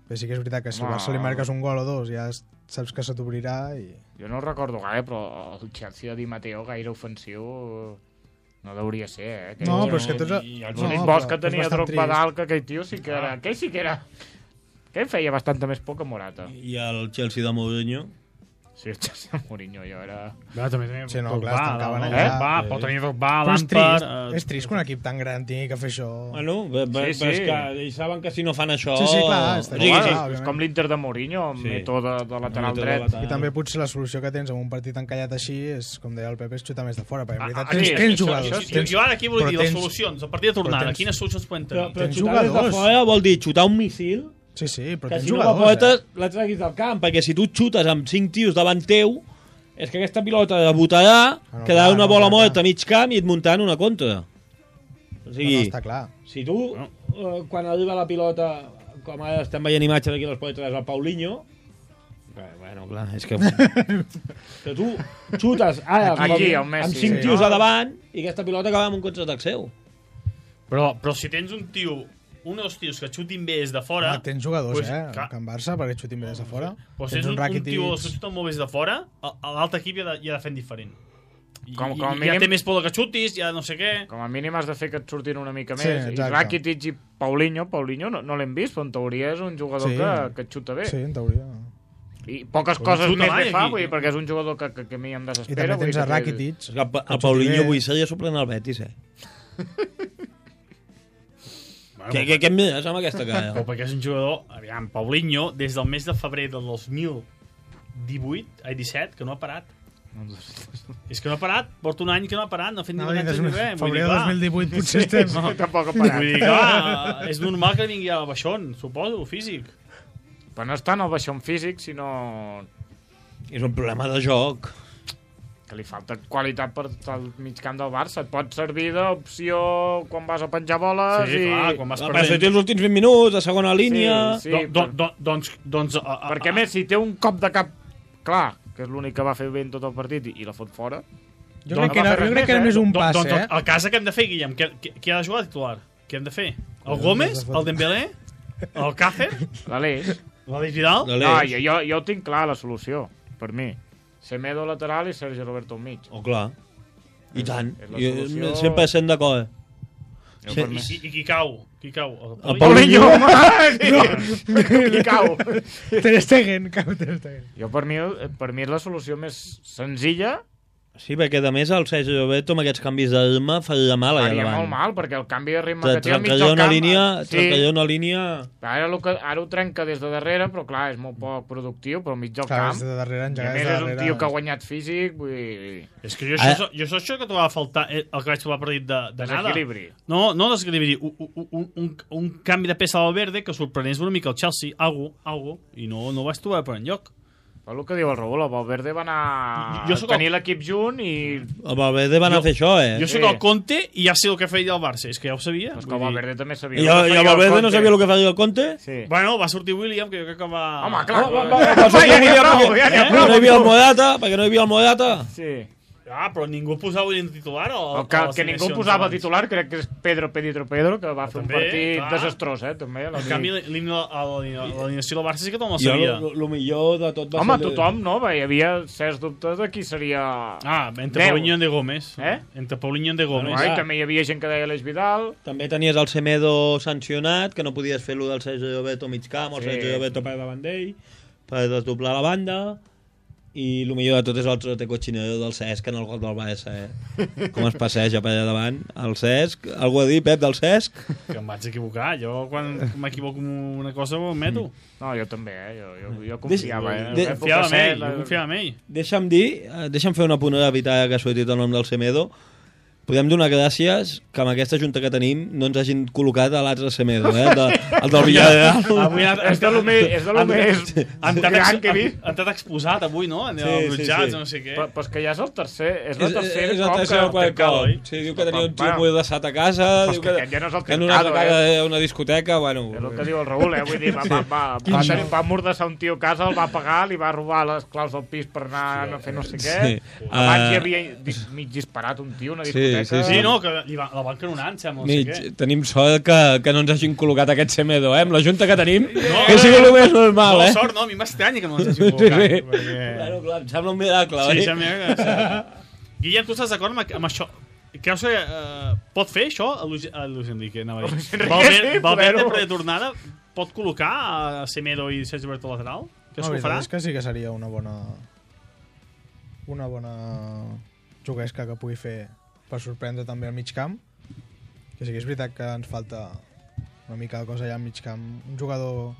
Però sí que és veritat que si al Home. Barça li marques un gol o dos ja saps que se t'obrirà i... Jo no ho recordo gaire, però el Chelsea de Di Matteo gaire ofensiu no deuria ser, eh? Aquell- No, però és que tots... I els L'únic no, bosc però que és tenia bastant Drogba trist. dalt, que aquell tio sí que era... Aquell sí que era... Aquell feia bastanta més por que Morata. I el Chelsea de Mourinho. Sí, el Chelsea de Mourinho, jo era... Va, també tenia Sí, no, Drogba, clar, es tancaven no? allà. Va, pot tenir Drogba, Però és Lampard... trist, eh, és trist que un equip tan gran tingui que fer això. Bueno, bé, bé, Sí, però és sí. que ells saben que si no fan això... Sí, sí, clar, està O sigui, clar, sí, òbviament. és com l'Inter de Mourinho, amb Sí. mètode de, de lateral Mètode dret. lateral. I també potser la solució que tens en un partit encallat així és, com deia el Pepe, és xutar més de fora, perquè en Ah, veritat ah, tens, sí, tens això- jugadors. això sí. Jo, tens, jo ara aquí vull però dir les tens- solucions. El partit de tornada, tens- quines solucions podem Però, tenir? però Tens xutar des de jugadors. fora vol dir xutar un missil Sí, sí, però que tens si no la jugadors, pilota eh? la treguis del camp, perquè si tu xutes amb cinc tios davant teu, és que aquesta pilota debutarà, no, quedarà clar, una no, bola clar, morta clar. a mig camp i et muntant una contra. O No, sigui, no, està clar. si tu, eh, quan arriba la pilota, com ara estem veient imatges aquí a l'Esport tres, el Paulinho, Bé, bueno, clar, és que... que tu xutes ara Aquí, com, el Messi, amb cinc sí. tios a davant i aquesta pilota acaba amb un contraatac seu. Però, però si tens un tio, un dels tios que xutin bé des de fora... Home, tens jugadors, pues, eh? clar. Que en Barça, perquè xutin bé des de fora. Pues tens un, un Rakitic. tio que xuta molt bé des de fora, a- a l'altre equip ja, de, ja de fent diferent. I, Com- i, com a i mínim- ja té més por de que xutis, ja no sé què... Com a mínim has de fer que et surtin una mica Sí, més. I exacte. Rakitic i Paulinho, Paulinho no, no l'hem vist, però en teoria és un jugador Sí. que, que et xuta bé. Sí, en teoria. I poques Però coses xuta més mai, li fa, aquí. vull dir, perquè és un jugador que, que, que a mi em I desespera. també vull dir tens a que- Rakitic. És que el, Que el Paulinho xuti bé. avui seria suplent al Betis, eh? Bueno, Què, què, què em mires amb aquesta Però cara? perquè és un jugador... Aviam, Paulinho, des del mes de febrer del dos mil divuit, ai, disset, que no ha parat. És que no ha parat, porta un any que no ha parat, no ha fet ni No, no, des ni de res. Vull febrer dir, de clar, dos mil divuit potser estem... No, tampoc ha parat. vull dir, clar, és normal que vingui al baixón, suposo, físic. Però no és tant el baixón físic, sinó És un problema de joc. que li falta qualitat per al mig camp del Barça. Et pot servir d'opció quan vas a penjar boles Sí, i... clar, quan vas Va, perdent... sortir els últims vint minuts, a segona línia... Sí, Do, do, do, doncs, doncs, a, a, Perquè a més, si té un cop de cap clar, que és l'únic que va fer bé en tot el partit i, i la fot fora, Jo Doncs crec que no va era, fer jo res crec que era més, més eh? un Do- pas, doncs, eh? el cas que hem de fer, Guillem, qui, qui, qui ha de jugar de titular? Què hem de fer? El Gómez? El Dembélé? El Cácer? l'Aleix... L'Aleix Vidal? De No, l'Eix. jo, jo, jo ho tinc clar, la solució, per mi. Semedo lateral i Sergi Roberto al mig. Oh, clar. I tant. és la Jo solució. cent per cent d'acord. Jo Sí. per I, mi. qui, I qui cau? Qui cau? El Paulinho! No. Qui cau? Ter Stegen, cau Ter Stegen. Jo per mi, per mi és la solució més senzilla. Sí, perquè a més el Sergi Roberto amb aquests canvis de ritme faria mal allà Faria davant. molt mal, perquè el canvi de ritme Tra- que té al mig Trencaria del una camp... línia, sí, trencaria una línia... ara, lo que, ara ho trenca des de darrere, però clar, és molt poc productiu, però al mig del Clar, camp... és de darrere, I a engegar més des de és un darrere. tio que ha guanyat físic, vull dir... És que jo Ara- això, jo això que trobava a faltar, eh, el que vaig trobar partit de, de nada. Desequilibri. No, no desequilibri, un, un, un, un, un canvi de peça al verde que sorprenés una mica el Chelsea, algo, algo, i no, no ho vaig trobar per enlloc. El que diu el Raül, el Valverde va anar Jo a sóc tenir el- l'equip junt i... El Valverde va anar a fer això, eh? Jo soc Sí. el Conte i ja sé el que feia el Barça. És que ja ho sabia. Pues que vull el dir- Valverde també sabia. I, el el, que i feia el Valverde no Conte. sabia el que feia el Conte? Sí. Bueno, va sortir William, que jo crec que va... Home, clar. Va, va, va, va, va, va, ja n'hi ha prou, ja n'hi ha Perquè prou. no hi havia el Morata, perquè no hi havia el Morata. Sí. Ah, però ningú posava William titular o... El que, o les que ningú alineacions posava abans? titular crec que és Pedro Pedro Pedro, que va fer un També, partit clar. desastrós, eh, també. En canvi, l'himne- a l'alineació del Barça sí que tothom la Jo, sabia. el millor de tot va Home, ser... tothom, no? Hi havia certs dubtes de qui seria... Ah, entre Deu. Paulinho i de Gómez. Eh? Entre Paulinho i de Gómez. Ai, clar. també hi havia gent que deia l'Eix Vidal. També tenies el Semedo sancionat, que no podies fer-lo del Sergio Llobeto mig camp, o el Sí. Sergio Llobeto per davant d'ell, per desdoblar la banda, i el millor de tot és el trote cochinero del Cesc en el gol del Barça, eh? Com es passeja per allà davant. El Cesc, algú a dir, Pep, del Cesc? Que em vaig equivocar. Jo, quan m'equivoco en una cosa, ho admeto. No, jo també, eh? Jo, jo, jo confiava, eh? De- En Confiava en època ell, set, la- jo confiava en ell. Deixa'm dir, eh, deixa'm fer una punt evitar que ha sortit el nom del Semedo. Podem donar gràcies que amb aquesta junta que tenim no ens hagin col·locat a l'altre Semedo, eh? El, de, el del Villarreal. Avui han, És de lo més, és de lo més han estat gran ex- que he vist. han estat exposat avui, no? En Sí, els sí, jutjats, sí. no sé què. Però, però és que ja és el tercer, és la És, tercera és el cop tercer o que... quart cop. oi? Sí, diu que tenia un tio Bueno. molt desat a casa, Però és diu que que, aquest ja no és el que en una trincado, altra casa eh? a una discoteca, bueno... És el que diu el Raül, eh? Vull dir, va, va, va, va, tenir, va mordassar un tio a casa, el va pagar, li va robar les claus del pis per anar a fer no sé què. Sí. Abans Uh, hi havia dis- mig disparat un tio a una Sí, discoteca. sí, Sí, no, que li va, la van canonar, em sembla, no sé Mig, què. tenim sort que, que no ens hagin col·locat aquest Semedo, eh? Amb la junta que tenim, que sigui el més normal, No, eh? sort, no, a mi m'estranya que no ens hagi col·locat. Sí. Perquè... Bueno, clar, em sembla un miracle, Sí, oi? sembla que... Sí. Guillem, tu estàs d'acord amb, amb això? Creus que uh, pot fer això a Luis, a Luis Enrique? Anava a dir. Luis Enrique, Valverde, sí, Valverde poder-ho. per tornada pot col·locar a Semedo i Sergio Berto lateral? Creus No, que ho farà? és que sí que seria una bona una bona juguesca que pugui fer per sorprendre també al mig camp, que sí que és veritat que ens falta una mica de cosa allà al mig camp, un jugador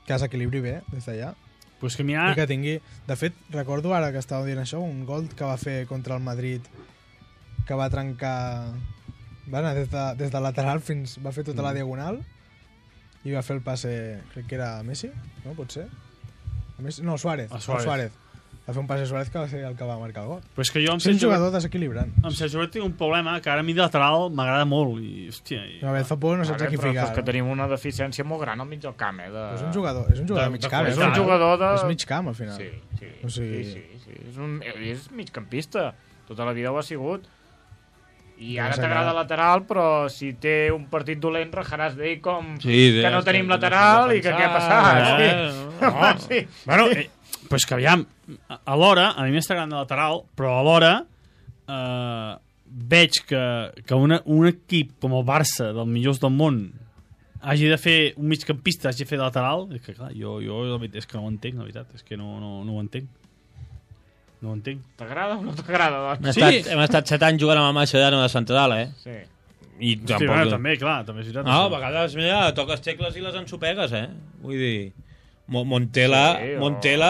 que s'equilibri bé des d'allà Pues que i mira... que tingui, de fet recordo ara que estava dient això, un gol que va fer contra el Madrid que va trencar va anar des de, des de lateral fins va fer tota la diagonal i va fer el passe, crec que era Messi, no? Pot ser? A Messi? No, Suárez, A el Suárez. Suárez. Va fer un passe a Suárez que va ser el que va marcar el gol. Pues que jo amb És un Sergio, jugador desequilibrant. amb Sergio Berto tinc un problema que ara a mi de lateral m'agrada molt i, hòstia... I... A veure, fa por, no saps Vale, a qui però ficar. és que tenim una deficiència molt gran al mig del camp, eh? De... És un jugador, és un jugador De- mig de camp. És eh? un jugador de... És mig camp, al final. Sí, sí, O sigui- sí, sí, sí. És, un, és migcampista. Tota la vida ho ha sigut. I ara Deu ser t'agrada que- lateral, però si té un partit dolent rajaràs d'ell com Sí, que no sí, tenim sí, lateral sí, i que sí, què ha sí, passat. sí. Sí. No. Sí. Bueno, eh, pues que aviam, a- alhora, a mi m'està agradant de lateral, però alhora eh, veig que, que una, un equip com el Barça, dels millors del món, hagi de fer un migcampista, hagi de fer de lateral, és que clar, jo, jo la veritat és que no ho entenc, la veritat, és que no, no, no ho entenc. No ho entenc. T'agrada o no t'agrada? Hem, Doncs? Sí. estat, hem estat set anys jugant amb el Mascherano de central, eh? Sí. I Hosti, tampoc... bueno, també, clar, també és veritat. No, a això. vegades, mira, toques tecles i les ensopegues, eh? Vull dir... Mo- Montela, Sí, o- Montela,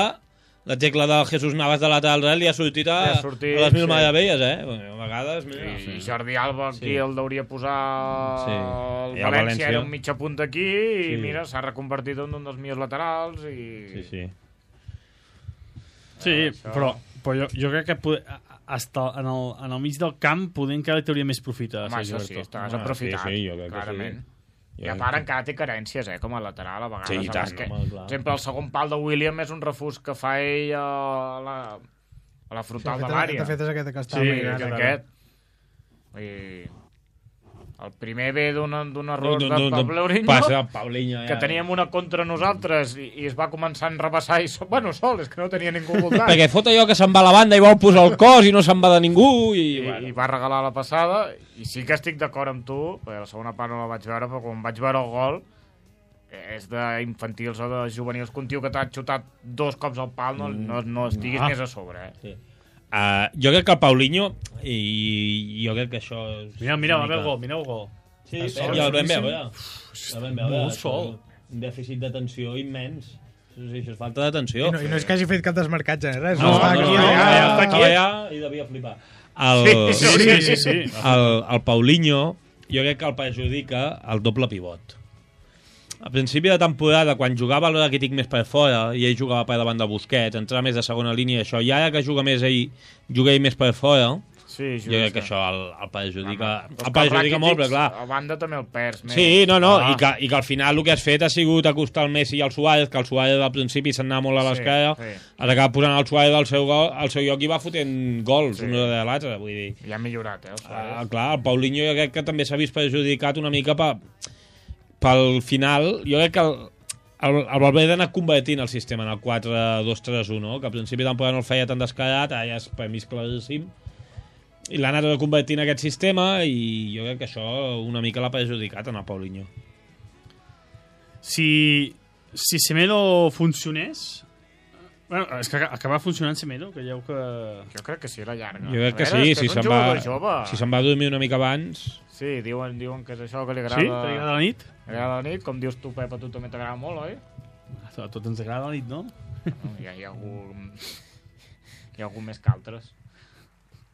la tecla de Jesús Navas de lateral dret li ha sortit a, Li ha sortit, a les mil sí. meravelles, eh? Bueno, a vegades, mira... I Jordi Alba aquí Sí. el deuria posar Sí. el I el València, València. era un mitja punt aquí i Sí. mira, s'ha reconvertit en un dels millors laterals i... Sí, sí. Sí, Això- però, però jo, jo crec que poder, hasta en, el, en el mig del camp podem que li trauria més profit a Home, Sergio això sí, Berto. estàs Home, aprofitat, sí, sí, jo crec que clarament. sí. I a part encara té carències, eh, com a lateral, a vegades. Sí, i a tant, més que, home, clar. per exemple, el segon pal de William és un refús que fa ell a la, a la Sí, frontal de de fet, l'àrea. de fet, és aquest que està Sí, mirant. és que aquest. I el primer ve d'un d'un error D'un- de d'un- d'un Paulinho, Passa a Paulinho, ja. que teníem una contra nosaltres i, i es va començar a enrabassar i so, bueno, sol, és que no tenia ningú al voltant. Perquè fot allò que se'n va a la banda i vol posar el cos i no se'n va de ningú i... I, bueno. i va regalar la passada i sí que estic d'acord amb tu, perquè la segona part no la vaig veure, però quan vaig veure el gol és d'infantils o de juvenils que un tio que t'ha xutat dos cops al pal no, no, no estiguis Ah. més a sobre, eh? Sí. Uh, jo crec que el Paulinho i jo crec que això és Mira, mira, una va el mica- gol, mira el gol. Sí, El sí, sol, ja el vam solíssim. veure. El vam veure. Molt això, sol. Un dèficit d'atenció immens. Sí, sí, això és falta d'atenció. I no, I no és que hagi fet cap desmarcatge ni res. No, està no, aquí, no, allà. no, ja està Estava aquí. allà i devia flipar. El, Sí, Sí, sí, sí. el, el Paulinho, jo crec que el perjudica el doble pivot. a principi de temporada, quan jugava el Rakitic més per fora i ell jugava per davant de Busquets, entrava més de segona línia i això, i ara que juga més ell, juga ell més per fora, Sí, jo crec que això el, el perjudica, Home, el perjudica molt, però clar... A banda també el perds més. Sí, no, no, Ah. i, que, i que al final el que has fet ha sigut acostar el Messi i el Suárez, que el Suárez al principi se'n anava molt a l'esquerra, Sí, sí. has acabat posant el Suárez al seu, gol, al seu lloc i va fotent gols, Sí. un de l'altre, vull dir... Ja ha millorat, eh, el Suárez. Ah, clar, el Paulinho jo crec que també s'ha vist perjudicat una mica pe, pel final. Jo crec que el, el, el Valverde ha anat convertint el sistema en el quatre dos tres u, no? Que al principi de temporada no el feia tan descarat, ara ja és per mi és claríssim, i l'ha anat convertint aquest sistema i jo crec que això una mica l'ha perjudicat en el Paulinho. Si, si Semedo funcionés... Bueno, és que acaba funcionant Semedo, que ja que... Jo crec que sí, a la llarga. Jo crec A que veure, sí, és que si és un se'n va, jugador jove. si se'n va dormir una mica abans... Sí, diuen, diuen que és això que li agrada... Sí? T'agrada la nit? Li agrada la nit, com dius tu, Pep, a tu també t'agrada molt, oi? A tot ens agrada la nit, no? No, hi, ha, hi, ha algú, hi ha algú més que altres.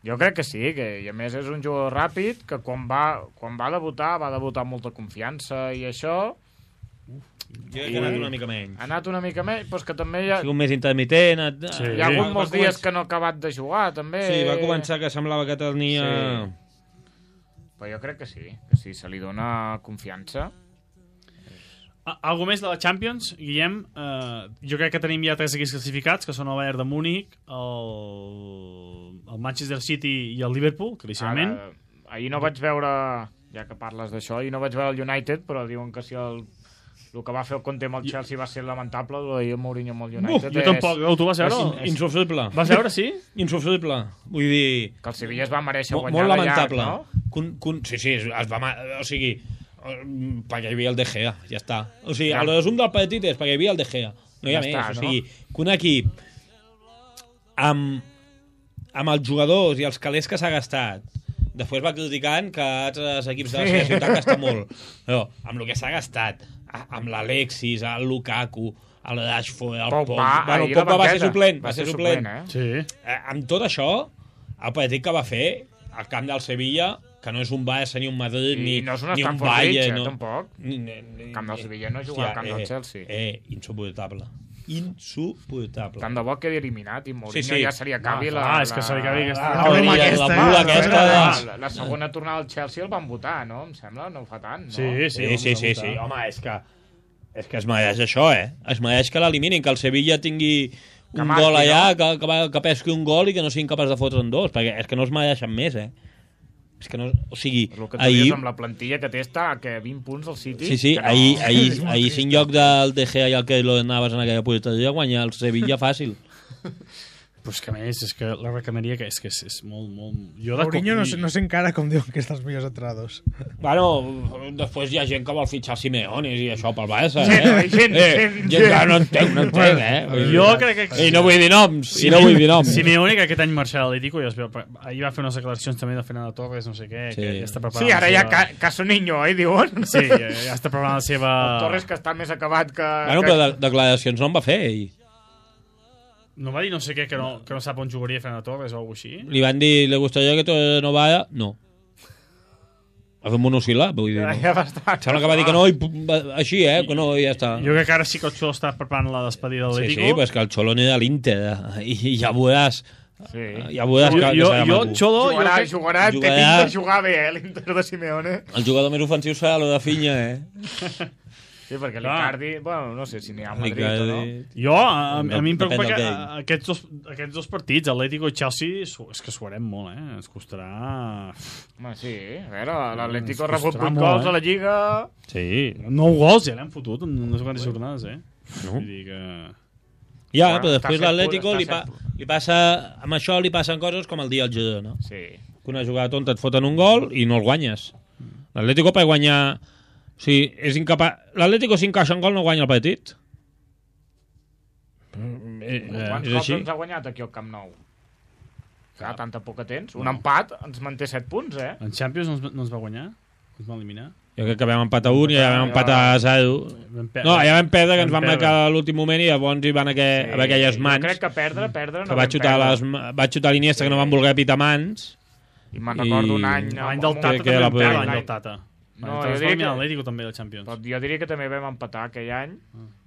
Jo crec que sí, que i a més és un jugador ràpid, que quan va, quan va debutar, va debutar amb molta confiança i això... Jo crec que ha anat una mica menys. Ha anat una mica menys, però és que també hi ha, Ha sigut més intermitent... Ha, Sí. hi ha hagut va- molts va dies començar- que no ha acabat de jugar, també. Sí, va començar que semblava que tenia... Sí. Però jo crec que sí, que sí, se li dona confiança. A- Algo més de la Champions, Guillem? Eh, jo crec que tenim ja tres equips classificats, que són el Bayern de Múnich, el, el Manchester City i el Liverpool, claríssimament. Ara, ahir no vaig veure, ja que parles d'això, ahir no vaig veure el United, però diuen que si el, el que va fer el Conte amb el Chelsea va ser lamentable, el d'ahir el Mourinho amb el United Jo tampoc, no, tu vas veure? És insufrible. Vas veure, sí? Insufrible. Vull dir... Que el Sevilla es va mereixer Molt, guanyar molt de llarg, lamentable. no? Con, con, sí, sí, es va... ma- O sigui, eh, perquè hi havia el De Gea, ja està. O sigui, Ja. el resum del partit és perquè hi havia el De Gea. No hi ha Ja més. està, o no? sigui, que un equip amb, amb els jugadors i els calés que s'ha gastat, després va criticant que altres equips de la seva ciutat gasten molt. Però amb el que s'ha gastat, a- amb l'Alexis, el Lukaku, el Rashford, el Pogba, Pogba... Bueno, ahir a la Pogba va ser banqueta. suplent, Va va ser ser suplent. suplent, eh? Sí. Eh, amb tot això, el partit que va fer al camp del Sevilla, que no és un Barça ni un Madrid I ni, no és un ni un Stamford Bridge, Bayern, eh, no. tampoc. Ni, ni, ni, El camp del Sevilla no juga al camp del Chelsea. Eh, insuportable. Insuportable. Tant de bo quedi eliminat i Mourinho Sí, sí. ja se li acabi Ah, la... clar, és que se li acabi aquesta- La, Ah, la, aquesta, la pula aquesta... La, de- la, la segona tornada al Chelsea el van votar, no? Em sembla, no fa tant, no? Sí, sí. Sí, sí, sí, sí. Home, és que, és que es mereix això, eh? Es mereix que l'eliminin, que el Sevilla tingui Que un marqui, gol allà, no? que, que, va- que pesqui un gol i que no siguin capaç de fotre'n dos, perquè és que no es mereixen més, eh? És que no... O sigui, El que tu ahir... dius amb la plantilla que té està que vint punts al City. Sí, sí, que no. ahir, ahir, ahir sin lloc del De Gea i el Keylor Navas en aquella porteria, guanyar el Sevilla fàcil. Però és que a més, és que la recamaria que és que és, és molt, molt... Jo de Mourinho no, sé- cop- no sé encara com diuen que és dels millors entrenadors. Bueno, després hi ha gent que vol fitxar Simeone i això pel Barça, Gent, eh? gent, eh, gent, gent que no entenc, no entenc, eh? Vull dir- Jo crec que... I no vull dir noms, i no vull dir noms. Simeone, que aquest any marxarà a l'Atlético, i es veu, ahir va fer unes declaracions també de Fernando Torres, no sé què, Sí. que ja està preparant Sí, ara la ja seva... ca Caso Niño, eh, diuen. Sí, ja, ja està preparant la seva... El Torres que està més acabat que... Bueno, que... però de declaracions no en va fer, ell. No va dir no sé què, que no, que no sap on jugaria Fernando Torres o alguna cosa així? Li van dir, ¿le gustaría que Torres no vaya? No. Va fer un monosíl·lab, vull dir, no. Ja va estar. Sembla que va dir que no, i pum, va- així, eh? Que no, i ja està. Jo crec que ara sí que el Xolo està preparant la despedida de Sí, l'Atlético. sí, pues que el Xolo ni de l'Inter, eh? I ja veuràs... Sí. Ja veuràs que, jo, que jo, serà jo, maco. Xolo, jo Jugarà, crec... jugarà, té Jugarà. pinta de jugar bé, eh, l'Inter de Simeone. El jugador més ofensiu serà lo de Finya, eh? Sí, perquè Clar. l'Icardi, bueno, no sé si n'hi ha a Madrid o no. Jo, a, a, a mi em preocupa Depèn que del game. aquests dos, aquests dos partits, Atlético i Chelsea, su- és que suarem molt, eh? Ens costarà... Home, sí, a veure, l'Atlético ha Ens rebut costarà vuit molt, gols eh? a la Lliga. Sí. Nou gols ja l'hem fotut en unes quantes jornades, eh? No. Vull dir que... Ja, Bueno, però està després set l'Atlético punts, li, pa, està set li passa... Amb això li passen coses com el dia al Girona. Sí. Que una jugada tonta et foten un gol i no el guanyes. L'Atlético per guanyar... O sigui, és incapaç... L'Atlético si encaixa un gol no guanya el partit. Eh, Quants és cops així. ens ha guanyat aquí al Camp Nou? Clar, tanta poca tens. Un empat ens manté set punts, eh? En Champions no ens, no ens va guanyar? Ens va eliminar? Jo crec que vam empatar un i ja vam empatar a zero. Vam per... No, ja vam perdre, que ens Vam van perdre. marcar a l'últim moment i llavors hi van aqu haver aquelles Jo mans. crec que perdre, perdre... Que no va vam xutar, perdre. les, ma- va xutar l'Iniesta, que no van voler pitar mans. I me'n recordo I- un any... L'any amb- del amb- Tata que- que també la vam perdre, podem- l'any del Tata. No, jo jo diria que... l'Atlético també de Champions. Però jo diria que també vam empatar aquell any,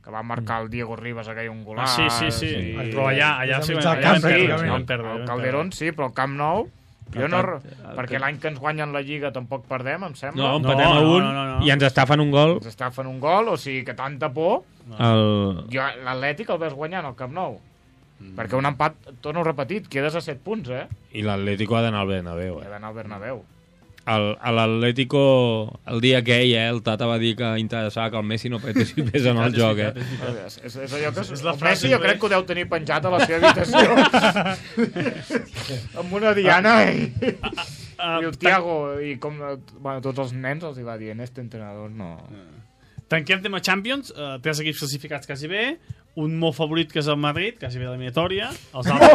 que va marcar el Diego Ribas aquell un Ah, golaç. sí, sí, sí. I... Però allà, allà Des sí, de mig allà del vam camp, perdre. pràcticament. Vam perdre, El vam Calderón sí, però el Camp Nou... Jo no... el- Perquè l'any que ens guanyen la Lliga tampoc perdem, em sembla. No, No, empatem a no, un no, no, no. i ens estafen un gol. Ens està fent un gol, o sigui que tanta por... El... Jo, l'Atlètic el vas guanyant al Camp Nou. Mm. Perquè un empat, torno repetit, quedes a set punts, eh? I l'Atlético ha d'anar al Bernabéu. He Eh? d'anar al Bernabéu. El, a l'Atlético, el dia aquell, eh, el Tata va dir que interessava que el Messi no participés en el joc, eh? És, és, és allò que... És la el frase, Messi jo no? crec que ho deu tenir penjat a la seva habitació. Amb una diana i... Ah, I el Thiago, i com bueno, tots els nens els hi va dient, este entrenador no... Tanquem tema Champions, uh, tres equips classificats quasi bé, un molt favorit que és el Madrid, quasi bé l'eliminatòria, els altres...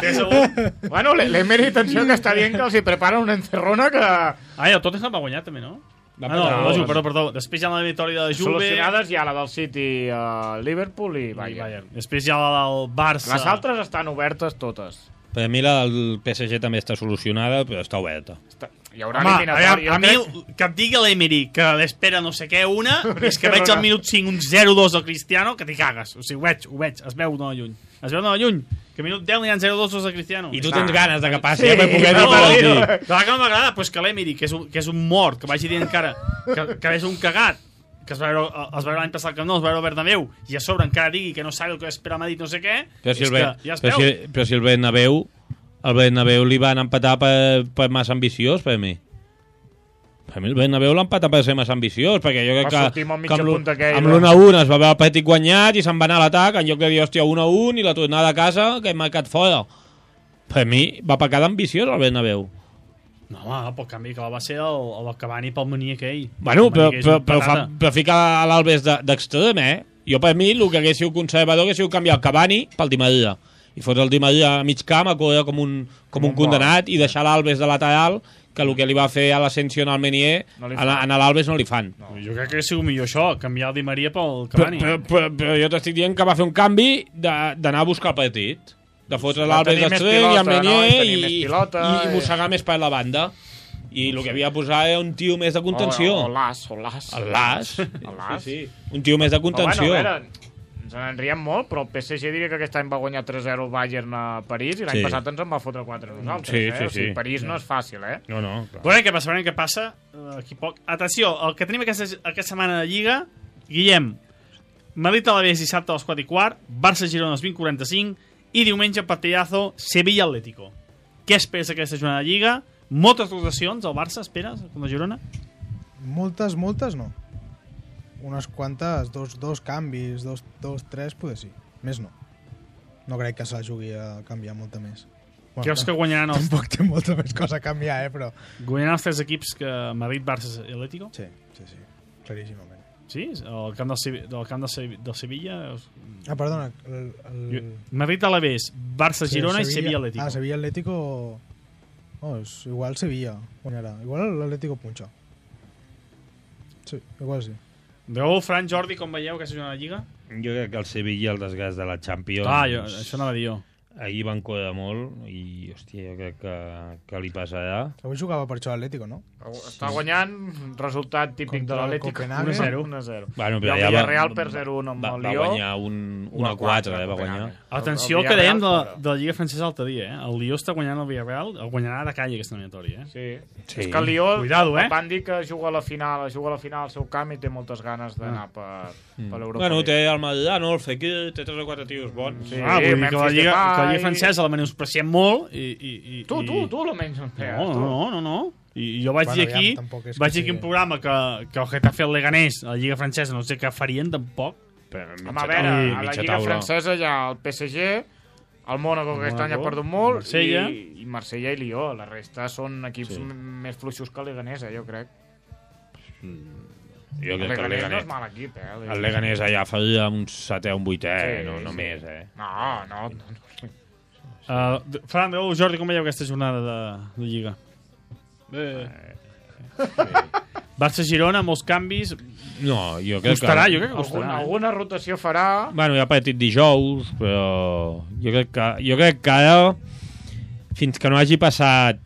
tres a un. Bueno, l'Emery, atenció, que està dient que els hi prepara una encerrona que... Ah, i el Tottenham va guanyar també, no? Va Ah, no, passar, la Juve, va perdó, perdó. Després hi ha la victòria de la Juve... Solucionades hi ha la del City, uh, Liverpool i i Bayern. Bayern. Després hi ha la del Barça... Les altres estan obertes totes. Per mi la del P S G també està solucionada, però està oberta. Està... Hi haurà Home, a, eliminatòria. a, a mi el- que em digui l'Emery que l'espera no sé què una i és que veig al minut cinc un zero dos al Cristiano que t'hi cagues, o sigui, ho veig, ho veig es veu no lluny, es veu no lluny que al minut deu n'hi ha zero dos al Cristiano I tu Està. tens ganes de que passi, Sí, sí, per poder dir no, per no. aquí. clar que no m'agrada, pues que l'Emery que, és un, que és un mort, que vagi dient encara que, que és un cagat que es va veure, es va veure l'any passat que no, es va veure el Bernabéu i a sobre encara digui que no sabe el que espera Madrid no sé què, Però si és el, que Ben, ja es però veu si, però si el Bernabéu el Bernabéu li van empatar per, per massa ambiciós, per mi. Per mi el Bernabéu l'ha empatat per ser massa ambiciós, perquè jo crec Va que, sortir amb el que mitja amb l'u- punta aquell, amb no? l'u a un es va veure el partit guanyat i se'n va anar a l'atac, en lloc de dir, hòstia, un a un i la tornada a casa que hem marcat fora. Per mi va pecar d'ambiciós el Bernabéu. no home, pel canvi que va ser el, el Cavani pel Mení aquell Bueno, El però, Mení que és però, un però, fa, patata. però fica l'Albes de- d'extrem, eh? Jo, per mi, el que hagués sigut conservador hagués sigut canviar el Cavani pel Di Maria. I fotre el Di Maria a mig camp a córrer com un, com un un condenat i deixar l'Albes de lateral, que el que li va fer a l'Ascensió en el Menier, No li a, fan. a l'Albes no li fan. no. jo crec que ha sigut millor això, canviar el Di Maria pel Però, Cavani però, però, però jo t'estic dient que va fer un canvi de- d'anar a buscar el partit. De fotre De l'Albes tenir més d'extrem i el pilota, no? Menier I tenir i, més i, pilota, i, i- mossegar més per la banda. I el que havia de posar era un tio més de contenció. O, o l'As, o l'As. El Las. El Las. Sí, sí. Un tio més de Però, contenció. bueno, a veure, ens en riem molt, però el P S G diria que aquest any va guanyar tres zero el Bayern a París i l'any Sí. passat ens en va fotre quatre a nosaltres. Sí, eh? sí, O sigui, sí. París no és fàcil, eh? No, no, clar. Veurem què passa, veurem què passa. Uh, aquí poc. Atenció, el que tenim aquesta, aquesta setmana de Lliga, Guillem, Madrid a la vez dissabte a les quatre i quart, Barça-Girona a les vint quaranta-cinc i diumenge partidazo Sevilla-Atlético. Què esperes d'aquesta jornada de Lliga? Moltes rotacions al Barça, esperes, com la Girona? Moltes, moltes no. Unes quantes, dos, dos canvis, dos, dos, tres, poder sí. Més no. No crec que se la jugui a canviar molta més. Creus que guanyaran els, Tampoc té molta més cosa a canviar, eh, però... guanyaran els tres equips que Madrid, Barça i Atlético? Sí, sí, sí. Claríssimament. Sí? El camp del, Sevi- del camp del, Sevi- del Sevilla? Ah, perdona. El, el... Madrid a la vez, Barça-Girona i Sevilla-Atlético. Ah, Sevilla-Atlético... Oh, és igual Sevilla guanyarà. Igual l'Atlético punxa. Sí, igual sí. Veu, Fran, Jordi, com veieu aquesta jornada de Lliga? Jo crec que el Sevilla, el desgast de la Champions... Ah, jo, això anava a dir jo. Ahir van córrer molt i, hòstia, jo crec que, que li passarà. Avui jugava per això l'Atlético, no? Està guanyant, resultat típic Contra de el l'Atlético. Copenhague. un a zero. un a zero. Bueno, I però el ja va, Villarreal per zero a un amb va, el va Lió. guanyar un, un a quatre, eh, va guanyar. Atenció El- el que dèiem de, Villarreal fora. de la Lliga Francesa l'altre dia, eh? El Lió està guanyant el Villarreal, el guanyarà de calle aquesta eliminatòria, eh? Sí. Sí. És que el Lió Cuidado, eh? van dir que juga a la final, juga a la final al seu camp i té moltes ganes d'anar per, per l'Europa. Bueno, League. té el Madrid, no? El Fekir, té tres o quatre tios bons. Sí, ah, vull dir que la Memphis Lliga, Depay. que la Lliga Francesa la menuspreciem molt i... i, i Tu, i... tu, tu la menys en No, no, no, no, no. I jo vaig Bueno, dir aquí, aviam, tampoc és que vaig dir aquí sigui- un programa que, que el Getafe el Leganés, a la Lliga Francesa, no sé què farien tampoc. Però Home, a veure, taula. a la Mitja Lliga taula. Francesa hi ha el P S G, el Mónaco, que aquest any ha Mónaco, perdut molt, Marsella. i, i Marsella i Lió. La resta són equips Sí. m- més fluixos que el Leganés, eh, jo crec. Jo El crec que el Leganés no és Leganés... mal equip, eh? El Leganés allà faria un setè o un vuitè, Sí, no, no sí. més, eh? No, no, no. Uh, Fran, veu, Jordi, com veieu aquesta jornada de, de Lliga? Eh, Barça-Girona, molts canvis. No, jo crec Costarà, que... jo crec que Algun, costarà. eh? alguna rotació farà... Bueno, hi ha partit dijous, però jo crec que, jo crec que ara, fins que no hagi passat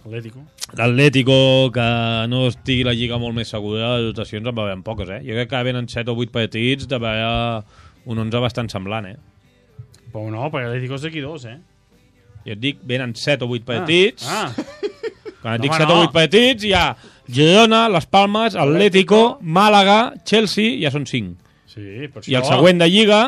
Atlético. L'Atlético, que no estigui la Lliga molt més segura, de dotacions en va haver poques, eh? Jo crec que venen set o vuit partits de veure un onze bastant semblant, eh? Però no, perquè l'Atlético és d'aquí dos, eh? Jo et dic, venen set o vuit partits. Ah, ah. Quan et No, dic home, set o no. vuit partits, hi ha Girona, Las Palmas, Atlético, Màlaga, Chelsea, ja són cinc. Sí, per això... I el següent de Lliga,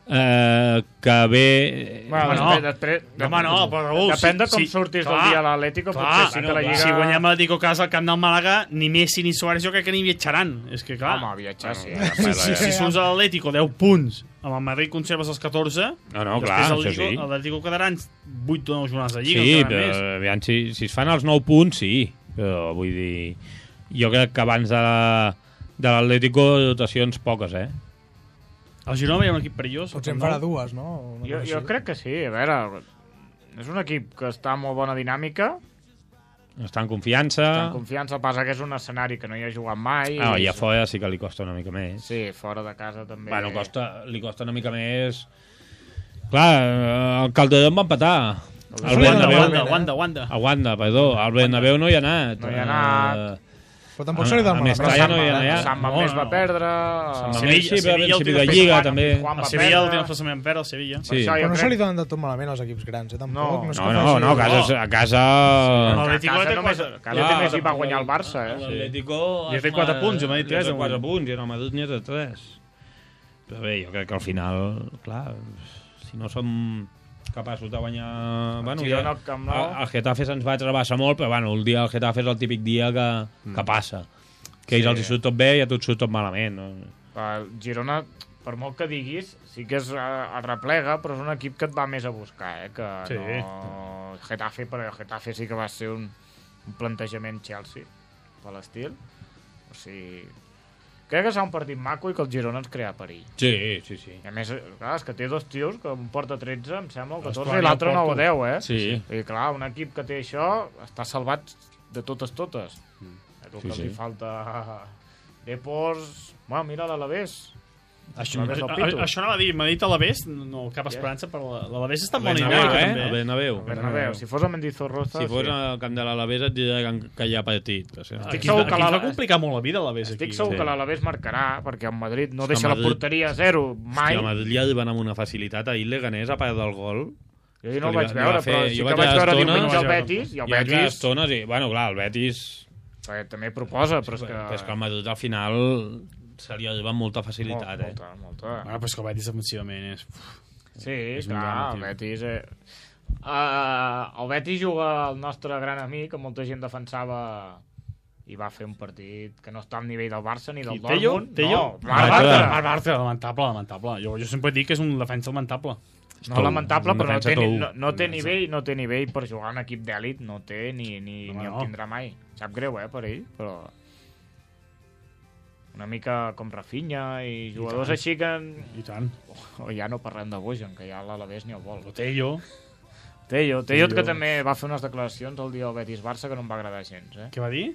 eh, que ve... Bueno, Home, no. després, després, Home, no, però Raül, depèn de com si- surtis clar, del dia a l'Atlético, Clar, potser sí que la Lliga... si guanyem l'Atlético a casa al camp del Màlaga, ni Messi ni Suárez jo crec que ni viatjaran. És que, clar, Home, viatjar, sí. si, si, si surts a l'Atlético deu punts, amb el Madrid conserves els catorze, No, no, després clar, això l'Atlético- sí. l'Atlético quedaran vuit o nou jornades de Lliga. Sí, encara però més. aviam, si, si es fan els nou punts, sí. Però vull dir... Jo crec que abans de, de l'Atlético, dotacions poques, eh? El Girona hi ha un equip perillós. Potser en farà dues, no? Una Jo, cosa jo així. crec que sí, a veure... És un equip que està en molt bona dinàmica, Està en confiança. està en confiança, passa que és un escenari que no hi ha jugat mai. Ah, i a és- fora sí que li costa una mica més. Sí, fora de casa també. Bueno, costa, li costa una mica més... Clar, eh, el Calderón va empatar. El Wanda, Bernabéu... Wanda, Wanda, Wanda. A Wanda, perdó. El Bernabéu no hi ha anat. No hi ha anat. Eh, Però tampoc se li dona a Mestalla no hi ha anat. Sant No, Mamés no, va no. perdre... Sant eh, Mamés, sí, però a Sevilla, principi el de últim Lliga, Juan- també. Juan El va Sevilla, perdre. el desplaçament perd, el Sevilla. Sí. això Però jo no se crec- li donen de tot malament als equips grans, eh? Tampoc. No, No, és No, que no, faci- no, a casa... A casa... No, A l'Atlético casa té només, quatre- a casa també s'hi va guanyar el Barça, eh? L'Atlético... I ha fet quatre punts, jo m'he dit tres, Tres, avui. quatre punts, i en el Madrid n'hi ha de tres. Però bé, jo crec que al final, clar, si no som capaços de guanyar... Bueno, Girona ja, al Camp Nou. el, el Getafe se'ns va trebassa molt, però bueno, el dia del Getafe és el típic dia que, que passa. Que a ells Sí. els hi surt tot bé i a tu et surt tot malament. No? El Girona, per molt que diguis, sí que és, eh, el replega, però és un equip que et va més a buscar, eh? Que Sí. no... El Getafe, però el Getafe sí que va ser un, un plantejament Chelsea, per l'estil. O sigui... Crec que serà un partit maco i que el Girona ens crea perill. Sí, sí, sí. I a més, clar, és que té dos tios, que un porta tretze, em sembla, o Els catorze, Plan i i el l'altre nou o Porto. deu, eh? Sí. I clar, un equip que té això està salvat de totes totes. Mm. El Sí, que sí. li falta... Depors... Bueno, mira l'Alavés. Això, L'Alavés del a- Pitu. això anava a dir, m'ha dit Alavés, no cap esperança, però l'Alavés està molt Bernabéu, dinàmica, eh? també. El Bernabéu. Bernabéu. Si fos a Mendizorroza... Si fos sí. al camp de l'Alavés et diré que, que hi ha partit. O sigui, Estic Aquí, segur aquí que ens va l'Ala- complicar molt la vida, l'Alavés, aquí. Estic segur Sí. que l'Alavés marcarà, perquè el Madrid no És que deixa el la Madrid- porteria a zero mai. Hòstia, el Madrid li arriben amb una facilitat. Ahir l'Eganés, a part del gol... Jo ahir no li el va- vaig li veure, va fer- però sí jo que vaig vaig veure veure estones, diumenge no el vaig veure Betis, i el Hi ha aquelles Betis estones i... Bueno, clar, el Betis... eh, també proposa, però és que... Però és que el Madrid al final se li arriba amb molta facilitat, eh? Molta, molta. Bueno, però és que el Betis defensivament és... Sí, és un clar, drama, el tio. Betis... Eh... Uh, el Betis juga el nostre gran amic, que molta gent defensava i va fer un partit que no està al nivell del Barça ni del Qui, Tello? Dortmund. Tello? No, Ah, el Barça. Barça. El Barça, lamentable, lamentable. Jo, jo sempre dic que és un defensa lamentable. No lamentable, un però no defensa té, ni, tou. no, no té nivell, no té nivell per jugar en equip d'èlit, no té ni, ni, Home, ni el no. tindrà mai. Sap greu, eh, per ell, però... Una mica com Rafinha i jugadors tant. així que... I tant. O ja no parlem de Bojan, que ja l'Alavés ni el vol. El Tello. Tello, Tello, que Tello. també va fer unes declaracions el dia del Betis-Barça que no em va agradar gens, eh? Què va dir?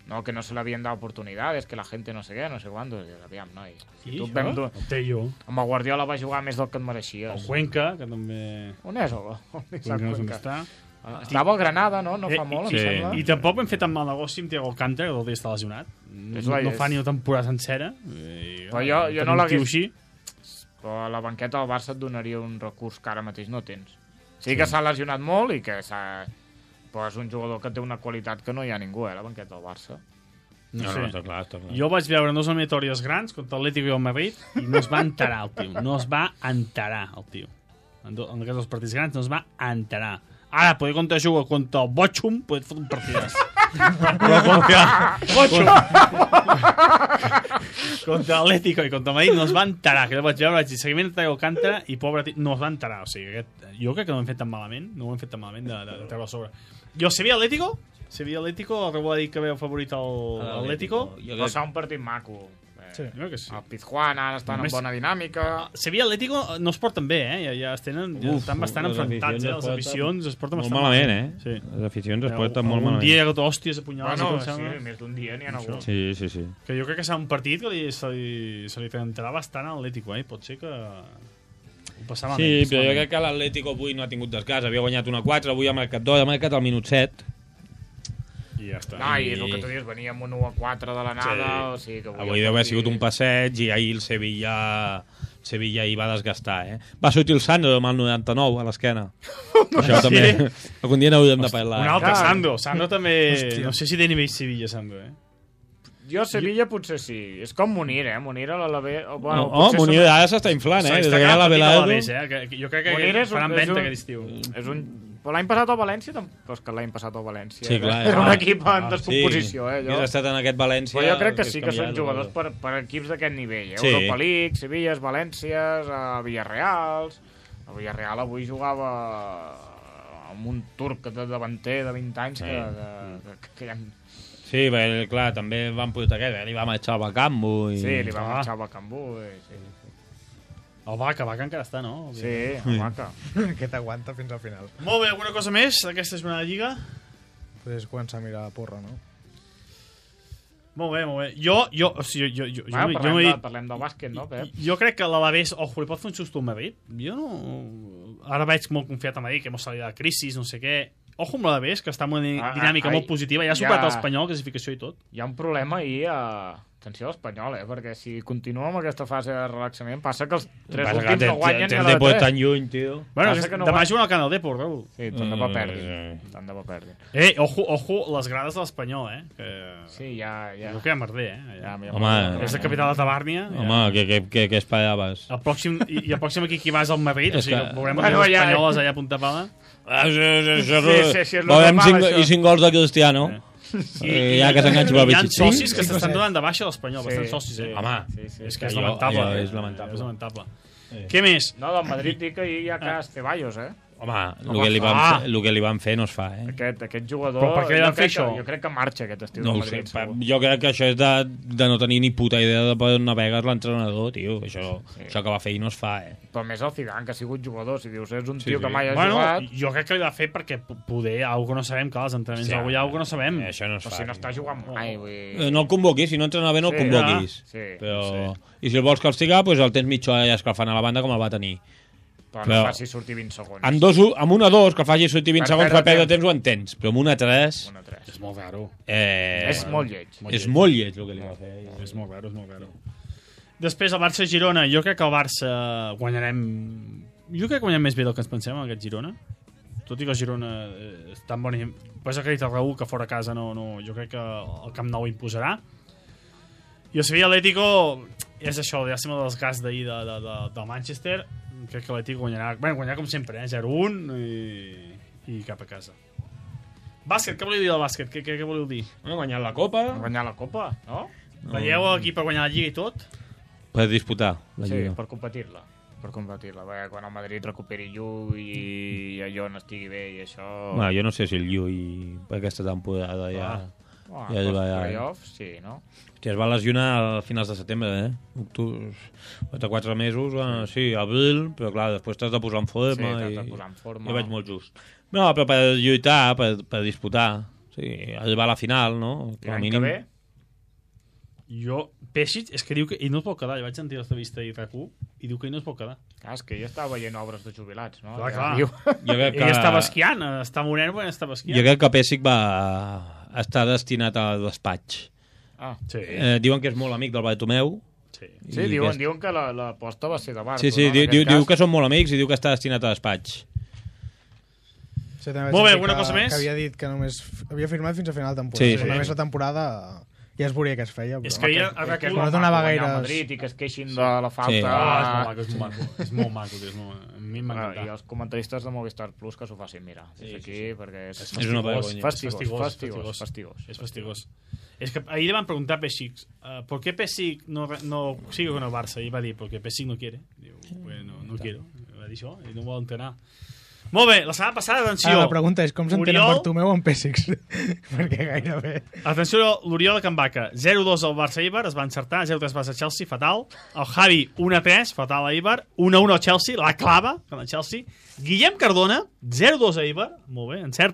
No, que no se le habían dado oportunidades, que la gente no sé què, no sé quando. Aviam, noi. Sí, tu et això? vam dur... El Tello. Amb el Guardiola va jugar més del que et El mereixies. Cuenca, que també... On és el? On és Cuenca el no sé on Cuenca? està. Ah, Estava al Granada, no? No fa Eh, molt, i, em sí. sembla. I tampoc hem fet tan mal negoci amb Thiago Alcántara, que el dia està lesionat. És la- No és- fa ni una temporada sencera. I, Però jo- jo tenir no un l'hagués- tio així. Però a la banqueta del Barça et donaria un recurs que ara mateix no tens. Sí que s'ha lesionat molt i que s'ha... Però és un jugador que té una qualitat que no hi ha ningú, eh, a la banqueta del Barça. No, No, sé. no, està clar, està clar. Jo vaig veure dos eliminatòries grans contra l'Atlético i el Madrid i no es va enterar el tio. No es va enterar el tio. En, do, en aquests dos partits grans no es va enterar. Ara, poder contra jugar contra el Bochum, poder fer un partidàs. Però contra... Bochum! contra l'Atlético i contra el Madrid no es va enterar. Que jo vaig veure, vaig dir, seguiment de Thiago Alcántara i pobre tio, no es va enterar. O sigui, aquest, jo crec que no ho hem fet tan malament, no ho hem fet tan malament de, de, de treure a sobre. Jo, Sevilla Atlético, Sevilla Atlético, algú va dir que veu favorit el Atlético. Jo Però crec... serà un partit maco. Eh, Sí. Jo crec que sí. El Pizjuán ara estan Només- en bona dinàmica. Sevilla Atlético no es porten bé, eh? Ja, ja es tenen, ja Uf, estan bastant les enfrontats, aficions eh? es Les porten aficions es porten Molt bastant malament, eh? Sí. Les aficions es Eh, porten molt un malament. dia que hòsties apunyalades, Bueno, com sí, sembla. més d'un dia n'hi ha Això. hagut. Sí, sí, sí. Que jo crec que serà un partit que li, se, li, se li entrarà bastant a l'Atlético, eh? Pot ser que ho passava Sí, però jo crec que l'Atlético avui no ha tingut desgast. Havia guanyat una quatre, avui ha marcat dos, ha marcat al minut set. I ja està. No, i és el que tu dius, veníem un u a quatre de l'anada, Sí. o sigui que... Avui deu haver sigut un passeig i ahir el Sevilla... el Sevilla hi va desgastar, eh? Va sortir el Sandro amb el noranta-nou a l'esquena. Això Sí? també... Algun dia n'hauríem de parlar. Un altre Clar. Sandro. Sandro també... Hòstia. No sé si té nivell Sevilla, Sandro, eh? Jo a Sevilla potser sí. És com Munir, eh? Munir a l'Alavés... No, Bueno, oh, potser Munir som- ara s'està inflant, eh? Des S'està que hi ha quedant la petit a Velado... l'Alavés, eh? Que, que jo crec que Munir és un- faran és venda un- aquest estiu. És un... Però l'any passat al València, tampoc és que l'any passat al València. Sí, clar, Era un ah, equip en ah, descomposició, eh? Hagués Allò. estat en aquest València... Però jo crec que hagués sí que són canviat, jugadors no? per, per equips d'aquest nivell. Eh? Sí. Europa League, Sevilles, Valències, a Villarreals... A Villarreal avui jugava amb un turc de davanter de vint anys Sí. que, que, que, que ja... Sí, perquè, clar, també van portar aquest, eh? Li va marxar al Bacambo i... Sí, li va Ah. marxar a Bacambú. I... Sí, El Vaca, Vaca encara està, no? sí, el Vaca. Aquest aguanta fins al final. Molt bé, alguna cosa més d'aquesta jornada de Lliga? Pues començar a mirar la porra, no? Molt bé, molt bé. Jo, jo, o sigui, jo, jo, jo, Va, jo, parlem, m'he de, dit, parlem del bàsquet, no, Pep? jo crec que l'Alavés, ojo, li pot fer un susto al Madrid. Jo no... Ara veig molt confiat a Madrid, que hemos salido de la crisi, no sé què. Ojo amb l'Alavés, que està en una Ah, dinàmica ah, molt ai, positiva. Ja ha superat ja- l'Espanyol, classificació i tot. Hi ha un problema ahir a... Atenció a l'Espanyol, eh? Perquè si continua amb aquesta fase de relaxament, passa que els tres Passa que últims té- no guanyen té ni el a la Depor tres. tan lluny, tio. Bueno, Passa és, que no demà va- juguen al Canal Depor, Raül. Sí, tant de bo Mm, perdin. eh. Tant de bo perdin. Eh, ojo, ojo, les grades de l'Espanyol, eh? Que... Sí, ja... ja. Jo que ja merder, eh? ja, Ja. ja Home, És de capital de Tabàrnia. Home, què, què, què, què esperaves? El pròxim, i, I el pròxim aquí qui va és el Madrid, o És sigui, que- que veurem Bueno, bueno, les ja- espanyoles allà a punta pala. Ah, sí, sí, sí, Sí, sí, sí, és lo Veurem normal, cinc, això. i cinc gols de Cristiano. Eh, ja que s'enganxa per Hi ha Pichichi. socis que Sí, s'estan sí. donant de baixa a l'Espanyol, Sí, bastant socis, eh? sí. Home, Sí, sí. És que és Allò- lamentable. allò eh? és lamentable. És lamentable. Què més? No, del Madrid dic que ahir hi ha cas Ceballos, eh? Home, el No que, li van, fa. fer, el que li van fer no es fa, eh? Aquest, aquest jugador... Però per què li jo van fer crec que- això? Jo crec que marxa aquest estiu No del ho sé, Madrid, pa- segur. jo crec que això és de, de no tenir ni puta idea de per on navegues l'entrenador, tio. Això, Sí. això que va fer i no es fa, eh? Però més el Zidane, que ha sigut jugador. Si dius, és un Sí, tio sí. que mai ha Bueno, jugat... jo crec que li va fer perquè p- poder, algo no sabem, clar, els entrenaments, Sí, algo hi ha, algo no sabem. Eh, això no es Però fa. si no està jugant mai, vull Eh, dir... No el convoquis, si no entrena bé no el Sí, convoquis. sí, Però... I si el vols castigar, doncs el tens mitja hora ja escalfant a la banda com el va tenir. Però Però- no faci sortir vint segons. Amb, dos, amb una dos, que el faci sortir vint Per segons per perdre perdre temps. temps, ho entens. Però amb una tres... Una tres. És molt raro. Eh, És molt lleig. és molt lleig el que li va fer. És molt raro, és molt raro. Després, el Barça-Girona. Jo crec que el Barça guanyarem... Jo crec que guanyem més bé del que ens pensem, en aquest Girona. Tot i que el Girona eh, és tan bon... Pots acreditar Raül que fora a casa no, no... Jo crec que el Camp Nou imposarà. I el Sevilla Atlético és això, llàstima del desgast d'ahir de, de, de, de Manchester. Crec que l'Atlético guanyarà... Bé, guanyarà com sempre, eh? zero un i, i cap a casa. Bàsquet, què voleu dir del bàsquet? Què, què, què voleu dir? Bueno, guanyat la Copa Guanyar la Copa, no? Veieu l'equip per guanyar la Lliga i tot? per disputar la Sí, Lliga. per competir-la. Per competir-la. Perquè quan el Madrid recuperi Llull i allò no estigui bé i això... Bueno, jo no sé si el Llull per aquesta temporada ja... Ah, ja ja va, ja. playoffs, sí, no? Hòstia, es va lesionar a finals de setembre, eh? Octubre, quatre, quatre mesos, bueno, sí, abril, però clar, després t'has de posar en Sí, forma t'has i... de posar en forma. Jo veig molt just. No, però per lluitar, per, per disputar, sí, arribar a la final, no? I l'any que ve? Jo, Pesic, és que diu que ell no es pot quedar. Jo vaig sentir l'entrevista i RAC u i diu que ell no es pot quedar. Ah, és que ell estava veient obres de jubilats, no? Clar, Ja clar. diu. Jo crec Ell estava esquiant, eh, està moreno quan estava esquiant. Jo crec que Pessic va estar destinat al despatx. Ah, Sí, Eh, diuen que és molt amic del Bartomeu. sí. sí, i diuen, que... diuen que la- l'aposta va ser de Barco, Sí, sí, no? En diu, aquest diu, diu cas. que són molt amics i diu que està destinat a despatx. Sí, també vaig Molt bé, sentir alguna que, cosa més? Que havia dit que només havia firmat fins a final de temporada. Sí, Sí, sí. Només la temporada ja es veuria que es feia. Però... És que ja... Que, que és no molt donava maco guanyar gaires- al Madrid i que es queixin de la falta. Sí. Ah, és molt maco, és molt maco. És molt maco, tio, és molt... A mi m'ha Ah, I encantat. els comentaristes de Movistar Plus que s'ho facin mirar des Sí, d'aquí, sí, sí. perquè és, És una vergonya. fastigós, Fastigós, fastigós, fastigós. fastigós. És fastigós. És que ahir le van preguntar a Pesic, uh, ¿por qué Pesic no, no sigue con el Barça? I va dir, porque Pesic no quiere. Diu, bueno, no quiero. Va dir això, i no vol entrenar. Molt bé, la setmana passada, atenció. Ara, la pregunta és com s'entén Oriol- Bartomeu amb Pessics? Perquè gairebé... Atenció, l'Oriol de Can Baca. zero dos al Barça-Eibar, es va encertar. zero tres Barça-Chelsea, fatal. El Javi, un a tres, fatal a Eibar. un a un al Chelsea, la clava, con el Chelsea. Guillem Cardona, zero dos a Eibar, molt bé, encert